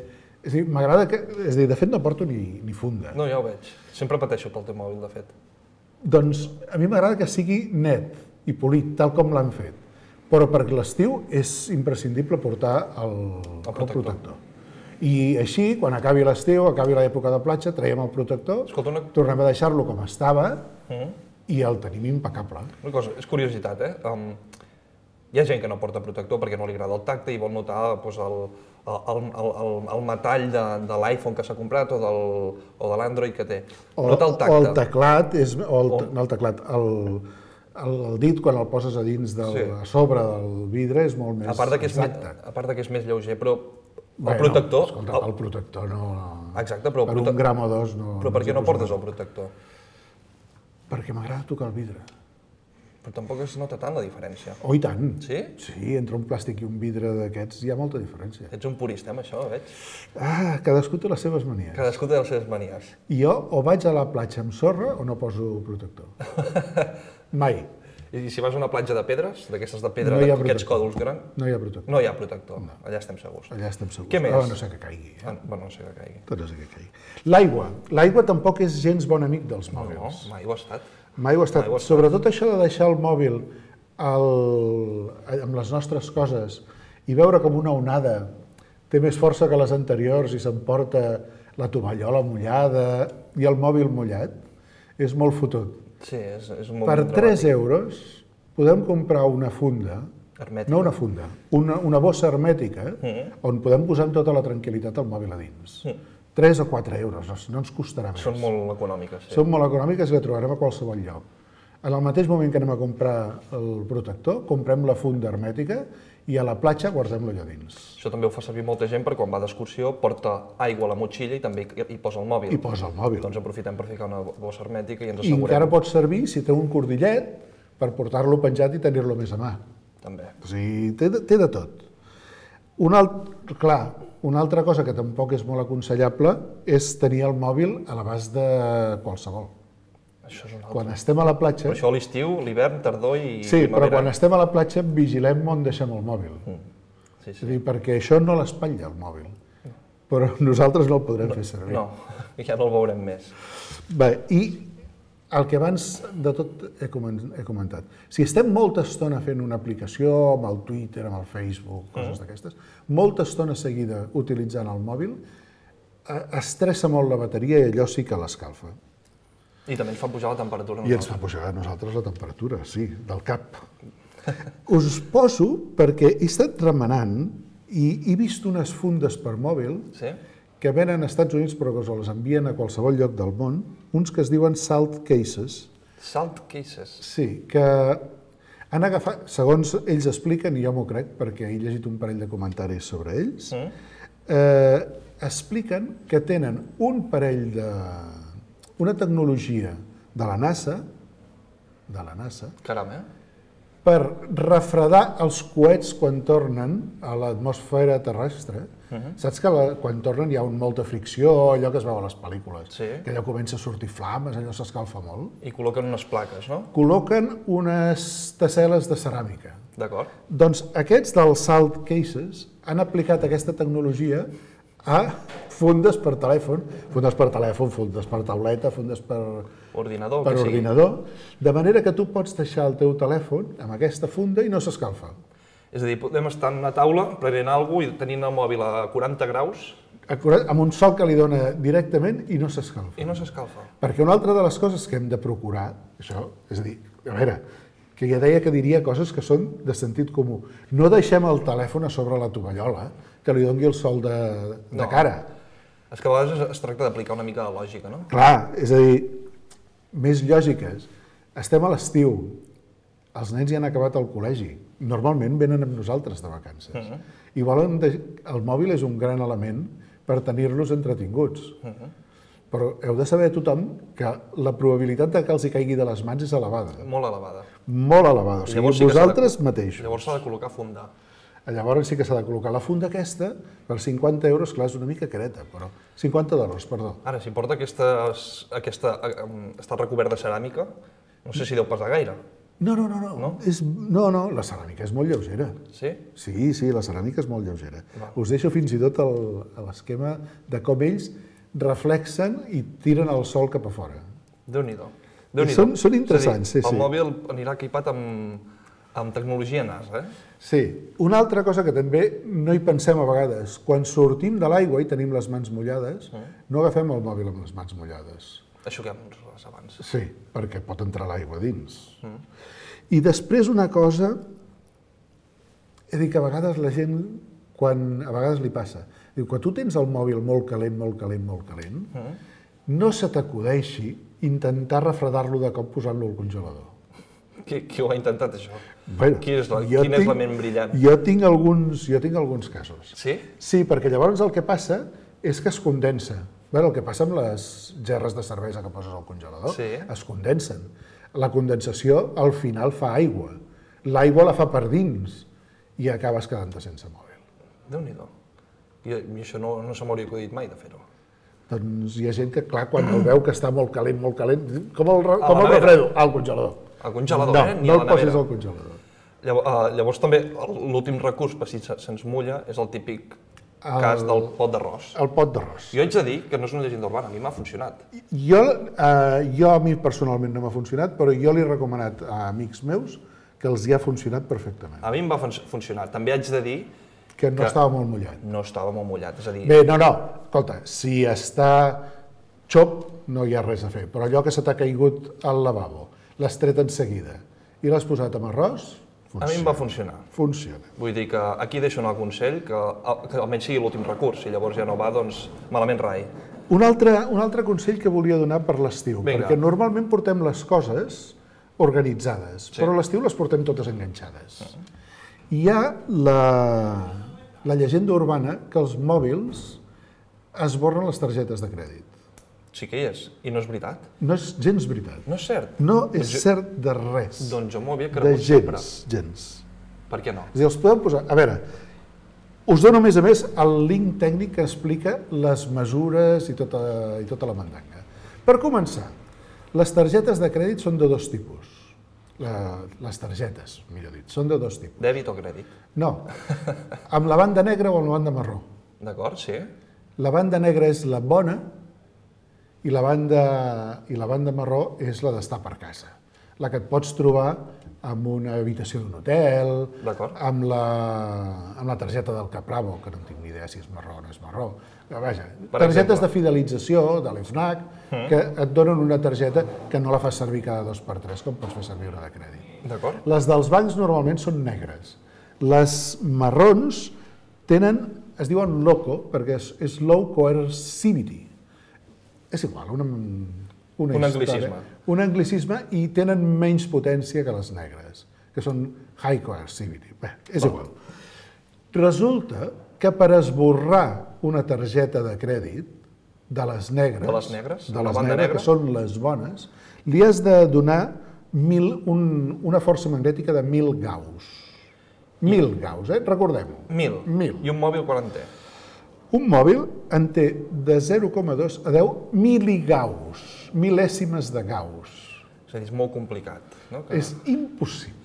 és a dir, m'agrada que... És a dir, de fet no porto ni, ni funda. No, ja ho veig. Sempre pateixo pel teu mòbil, de fet. Doncs a mi m'agrada que sigui net i polit, tal com l'han fet. Però per l'estiu és imprescindible portar el, el, protector. protector. I així, quan acabi l'estiu, acabi l'època de platja, traiem el protector, Escolta, una, tornem a deixar-lo com estava mm, i el tenim impecable. una cosa, és curiositat, eh? Um, hi ha gent que no porta protector perquè no li agrada el tacte i vol notar doncs, el, el, el, el, el metall de, de l'iPhone que s'ha comprat o, del, o de l'Android que té. O, Nota el o tacte. el teclat, és, o el, O- no el teclat, el, el, el dit quan el poses a dins, del, Sí. a sobre del vidre, és molt més A part de que és, més, exacte. a part de que és més lleuger, però el Bé, protector... No, escolta, el protector no... Exacte, però el per prote- un gram o dos no... Però per ens què no hi portes posem. el protector? Perquè m'agrada tocar el vidre. Però tampoc es nota tant la diferència. Oh, i tant. Sí? Sí, entre un plàstic i un vidre d'aquests hi ha molta diferència. Ets un purista amb això, veig. Ah, cadascú té les seves manies. Cadascú té les seves manies. I jo o vaig a la platja amb sorra o no poso protector. Mai. I si vas a una platja de pedres, d'aquestes de pedra, No hi ha d'aquests protector. còdols grans, No hi ha protector. no hi ha protector. Allà estem segurs. Allà estem segurs. Què més? Oh, no sé que caigui. Eh? Ah, bueno, no sé que caigui. Tot no sé que caigui. L'aigua. L'aigua tampoc és gens bon amic dels No, mòbils. no, mai ho ha estat. Mai ho ha estat. Mai ho ha estat. Sobretot això de deixar el mòbil el, amb les nostres coses i veure com una onada té més força que les anteriors i s'emporta la tovallola mullada i el mòbil mullat, és molt fotut. Sí, és, és molt Per dramàtic. tres euros podem comprar una funda, Hermètica. no una funda, una, una bossa hermètica, on podem posar amb tota la tranquil·litat el mòbil a dins. tres o quatre euros, no, no ens costarà més. Són molt econòmiques, sí. Són molt econòmiques i la trobarem a qualsevol lloc. En el mateix moment que anem a comprar el protector, comprem la funda hermètica i a la platja guardem-lo allà dins. Això també ho fa servir molta gent per quan va d'excursió, porta aigua a la motxilla i també hi hi posa el mòbil. I posa el mòbil. Doncs aprofitem per ficar una bossa hermètica i ens I assegurem. encara pot servir, si té un cordillet, per portar-lo penjat i tenir-lo més a mà. També. O sigui, té de, té de tot. Un alt, clar, una altra cosa que tampoc és molt aconsellable és tenir el mòbil a l'abast de qualsevol. Això és un altre. Quan estem a la platja... Per això a l'estiu, l'hivern, tardor i Sí, però primavera. quan estem a la platja vigilem on deixem el mòbil. Sí, És sí. a dir, perquè això no l'espatlla, el mòbil. Però nosaltres no el podrem fer servir. No, ja no el veurem més. Bé, i el que abans de tot he comen- he comentat. Si estem molta estona fent una aplicació amb el Twitter, amb el Facebook, coses d'aquestes, molta estona seguida utilitzant el mòbil, eh, estressa molt la bateria i allò sí que l'escalfa. I també ens fa pujar la temperatura. I ens fa pujar a nosaltres la temperatura, sí, del cap. Us poso perquè he estat remenant i he vist unes fundes per mòbil Sí? que venen als Estats Units però que us les envien a qualsevol lloc del món, uns que es diuen salt cases, Salt cases. sí, que han agafat, segons ells expliquen, i jo m'ho crec perquè he llegit un parell de comentaris sobre ells, eh, expliquen que tenen un parell de... una tecnologia de la NASA, de la NASA, Caram, eh? per refredar els coets quan tornen a l'atmosfera terrestre. Saps que la, quan tornen hi ha un, molta fricció, allò que es veu a les pel·lícules, Sí. que allò comença a sortir flames, allò s'escalfa molt. I col·loquen unes plaques, no? Col·loquen unes tessel·les de ceràmica. D'acord. Doncs aquests dels Salt Cases han aplicat aquesta tecnologia a fundes per telèfon, fundes per telèfon, fundes per tauleta, fundes per, Ordinador, per que sigui. ordinador, de manera que tu pots deixar el teu telèfon amb aquesta funda i no s'escalfa. És a dir, podem estar en una taula prenent alguna cosa i tenint el mòbil a quaranta graus Acurat, amb un sol que li dona directament i no s'escalfa. i no s'escalfa. Perquè una altra de les coses que hem de procurar, això, és a dir, a veure, que ja deia que diria coses que són de sentit comú. No deixem el telèfon a sobre la tovallola, que li doni el sol de, de No. cara. És que a vegades es tracta d'aplicar una mica de lògica, no? Clar, és a dir, més lògiques. Estem a l'estiu, els nens ja han acabat el col·legi, normalment venen amb nosaltres de vacances. I volen de... El mòbil és un gran element per tenir-los entretinguts. Però heu de saber tothom que la probabilitat de que els hi caigui de les mans és elevada. Molt elevada. Molt elevada. O sigui, Llavors sí que s'ha de- vosaltres mateixos. Llavors s'ha de col·locar funda. Llavors sí que s'ha de col·locar la funda aquesta per cinquanta euros, clar, és una mica careta, però cinquanta dòlars, perdó. Ara, si porta aquesta, aquesta, eh, està recobert de ceràmica, no sé si deu pesar gaire. No, no, no, no. No? És, no, no, la ceràmica és molt lleugera. Sí? Sí, sí, la ceràmica és molt lleugera. Us deixo fins i tot el, l'esquema de com ells reflexen i tiren el sol cap a fora. Déu-n'hi-do. Déu-n'hi-do. Són- són interessants, És a dir, sí, sí. El mòbil anirà equipat amb, amb tecnologia NASA, eh? Sí. Una altra cosa que també no hi pensem a vegades, quan sortim de l'aigua i tenim les mans mullades, no agafem el mòbil amb les mans mullades. Això que hem dit abans. Sí, perquè pot entrar l'aigua dins. I després una cosa, he dit que a vegades la gent, quan a vegades li passa, diu, quan tu tens el mòbil molt calent, molt calent, molt calent, no se t'acudeixi intentar refredar-lo de cop posant-lo al congelador. Qui, qui ho ha intentat, això? Bueno, Qui és la, jo quin és tinc- la ment brillant? Jo tinc alguns, jo tinc alguns casos. Sí? Sí, perquè llavors el que passa és que es condensa. Bueno, el que passa amb les gerres de cervesa que poses al congelador, Sí. es condensen. La condensació al final fa aigua. L'aigua la fa per dins i acabes quedant-te sense mòbil. Déu-n'hi-do. I, I això no, no se m'hauria acudit mai de fer-ho. Doncs hi ha gent que, clar, quan el veu que està molt calent, molt calent, com el, re- A com la el nevera. refredo? Al congelador. Al congelador, no, eh? Ni no a la el posis nevera. al congelador. Llavors, uh, llavors també l'últim recurs per si se'ns mulla és el típic El- cas del pot d'arròs. El pot d'arròs. Jo haig de dir que no és una llegenda urbana, a mi m'ha funcionat. Jo, eh, jo a mi personalment no m'ha funcionat, però jo li he recomanat a amics meus que els hi ha funcionat perfectament. A mi em va fun funcionar. També haig de dir Que no que- estava molt mullat. no estava molt mullat, és a dir... Bé, no, no, escolta, si està xop no hi ha res a fer, però allò que se t'ha caigut al lavabo, l'has tret en seguida i l'has posat amb arròs, A mi em va funcionar. funciona. Vull dir que aquí deixo anar el consell, que, que almenys sigui l'últim recurs, si llavors ja no va, doncs malament rai. Un altre, un altre consell que volia donar per l'estiu, Vinga. perquè normalment portem les coses organitzades, Sí. però a l'estiu les portem totes enganxades. Hi ha la, la llegenda urbana que els mòbils esborren les targetes de crèdit. Sí que hi és, i no és veritat. No és gens veritat. No és cert. No és Doncs jo- cert de res. Doncs jo m'ho havia de cregut sempre. gens, gens. Per què no? És a dir, els podem posar... A veure, us dono a més a més el link tècnic que explica les mesures i tota, i tota la mandanga. Per començar, les targetes de crèdit són de dos tipus. La, les targetes, millor dit, són de dos tipus. Dèbit o crèdit? No, amb la banda negra o amb la banda marró. D'acord, sí. La banda negra és la bona i la banda, i la banda marró és la d'estar per casa. La que et pots trobar amb una habitació d'un hotel, D'acord. amb la, amb la targeta del Capravo, que no en tinc ni idea si és marró o no és marró. Però, vaja, Per targetes exemple. de fidelització, de l'Fnac, que et donen una targeta que no la fas servir cada dos per tres, com pots fer servir una de crèdit. D'acord? Les dels bancs normalment són negres. Les marrons tenen, es diuen loco, perquè és, és low coercivity. És igual, una, una Un història. anglicisme. Un anglicisme i tenen menys potència que les negres, que són high coercivity. Bé, és igual. Resulta que per esborrar una targeta de crèdit de les negres, De les negres? de La les banda negres, negra? que són les bones, li has de donar mil, un, una força magnètica de mil gauss. Mil gauss, eh? Recordem-ho. Mil. Mil. I un mòbil quan en té? Un mòbil en té de zero coma dos a deu miligauss, mil·lèsimes de gauss. És a dir, és molt complicat. No? Que... És impossible.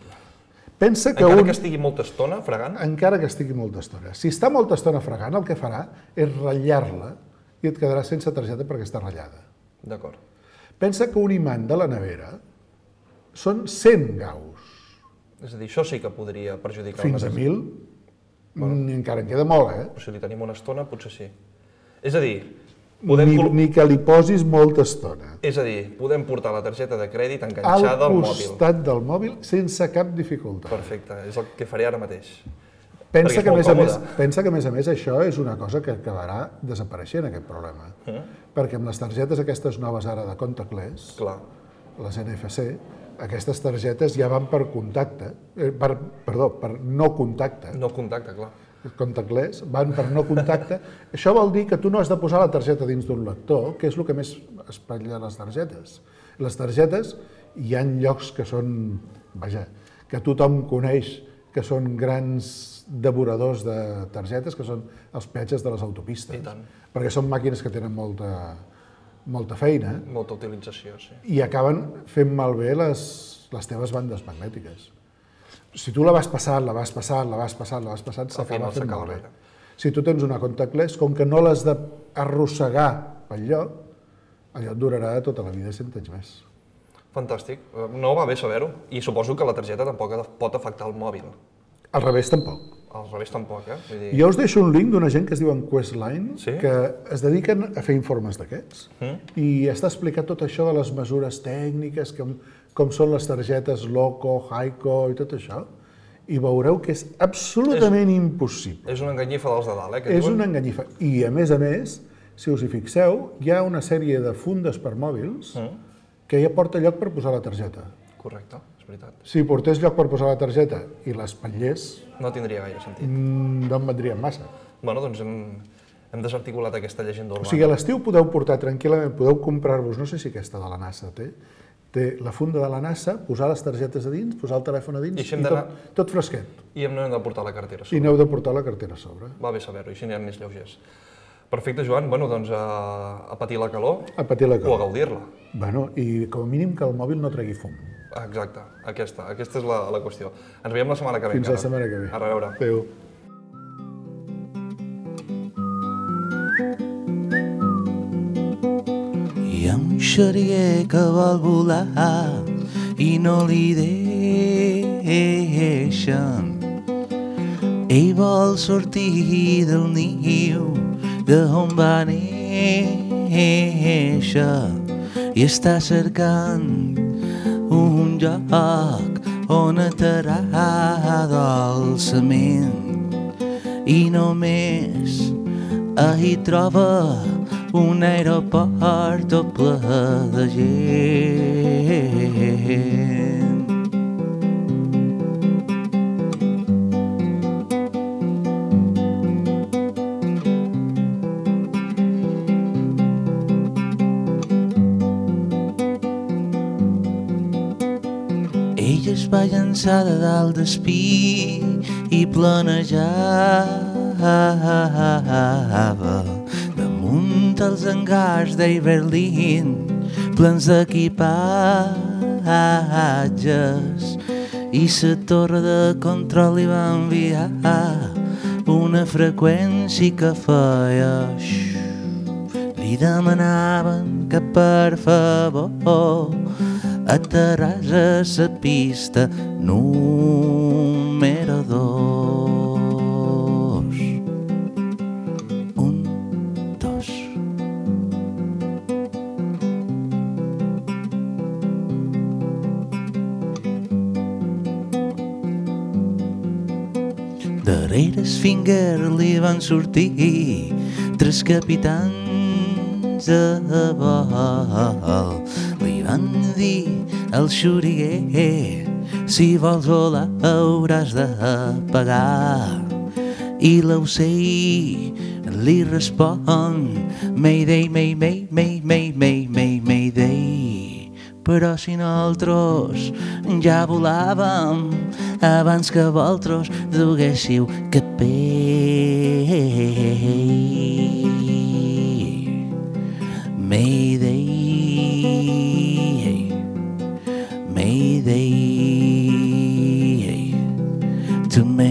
Pensa que Encara un... que estigui molta estona fregant, Encara que estigui molta estona. Si està molta estona fregant, el que farà és ratllar-la i et quedarà sense targeta perquè està ratllada. d'acord. Pensa que un imant de la nevera són cent gauss. És a dir, això sí que podria perjudicar Fins a una mil, ni encara en queda molt, eh? Però si li tenim una estona, potser sí. És a dir, podem, Ni, col- ni que li posis molta estona. és a dir, podem portar la targeta de crèdit Al enganxada al mòbil. costat del mòbil sense cap dificultat. Perfecte, és el que faré ara mateix. Pensa Perquè és que, a molt més a més, còmode. pensa que, a més a més, això és una cosa que acabarà desapareixent, aquest problema. Mm. Perquè amb les targetes aquestes noves ara de contactless, Clar, les N F C, aquestes targetes ja van per contacte, eh, per, perdó, per no contacte. no contacte, clar. Contactless, van per no contacte. Això vol dir que tu no has de posar la targeta dins d'un lector, que és el que més espatlla les targetes. Les targetes, hi ha llocs que són, vaja, que tothom coneix, que són grans devoradors de targetes, que són els peatges de les autopistes. I tant. Perquè són màquines que tenen molta, molta feina Molta utilització, sí. i acaben fent malbé les, les teves bandes magnètiques. Si tu la vas passant, la vas passant, la vas passant, la vas passant, s'acaba final fent s'acaba malbé. bé. Si tu tens una contactless, com que no l'has d'arrossegar pel lloc, allò et durarà tota la vida cent anys més. Fantàstic. Eh, No va bé saber-ho. I suposo que la targeta tampoc pot afectar el mòbil. Al revés, tampoc. Al revés tampoc, eh? Vull dir... Jo us deixo un link d'una gent que es diuen Questline, Sí? que es dediquen a fer informes d'aquests, Mm. i està explicat tot això de les mesures tècniques, com, com són les targetes Loco, Haico i tot això, i veureu que és absolutament impossible. És una enganyifa dels de dalt, eh? Que És diuen. una enganyifa. I, a més a més, si us hi fixeu, hi ha una sèrie de fundes per mòbils Mm. que ja porta lloc per posar la targeta. Correcte, és veritat. Si portés lloc per posar la targeta i l'espatllés, No tindria gaire sentit. mm, no en vendrien massa. Bueno, doncs hem, hem desarticulat aquesta llegenda O urbana. sigui, a l'estiu podeu portar tranquil·lament, podeu comprar-vos, no sé si aquesta de la NASA té, té la funda de la NASA, posar les targetes a dins, posar el telèfon a dins I i, així hem tot, d'anar- tot fresquet. I hem no hem de portar la cartera. I Sobre. n'heu de portar la cartera a sobre. Va bé saber-ho, i així anirem més lleugers. Perfecte, Joan. Bueno, doncs a, a patir la calor A patir la o a calor. gaudir-la. Bueno, i com a mínim que el mòbil no tregui fum. Exacte, aquesta, aquesta és la, la qüestió. Ens veiem la setmana que ve. Fins la encara. setmana que ve. A reveure. Adéu. Hi ha un xeriguer que vol volar i no li deixen. Ell vol sortir del niu d'on va néixer i està cercant un lloc on aterrar dolçament i només hi troba un aeroport tot ple de gent. Ella es va llançar de dalt d'espí i planejava damunt els hangars d'Iberlín plens d'equipatges i la torre de control li va enviar una freqüència que feia xxxt. Li demanaven que per favor aterràs a la pista número dos. Un, dos. Darrere el Finger li van sortir tres capitans a vol. Li van dir al xuriguer, si vols volar hauràs de pagar. I l'ocell li respon, Mayday, may, may, may, may, may, may, mayday. Però si nosaltres ja volàvem abans que vosaltres duguéssiu capell. Mayday, Mayday, to Mayday.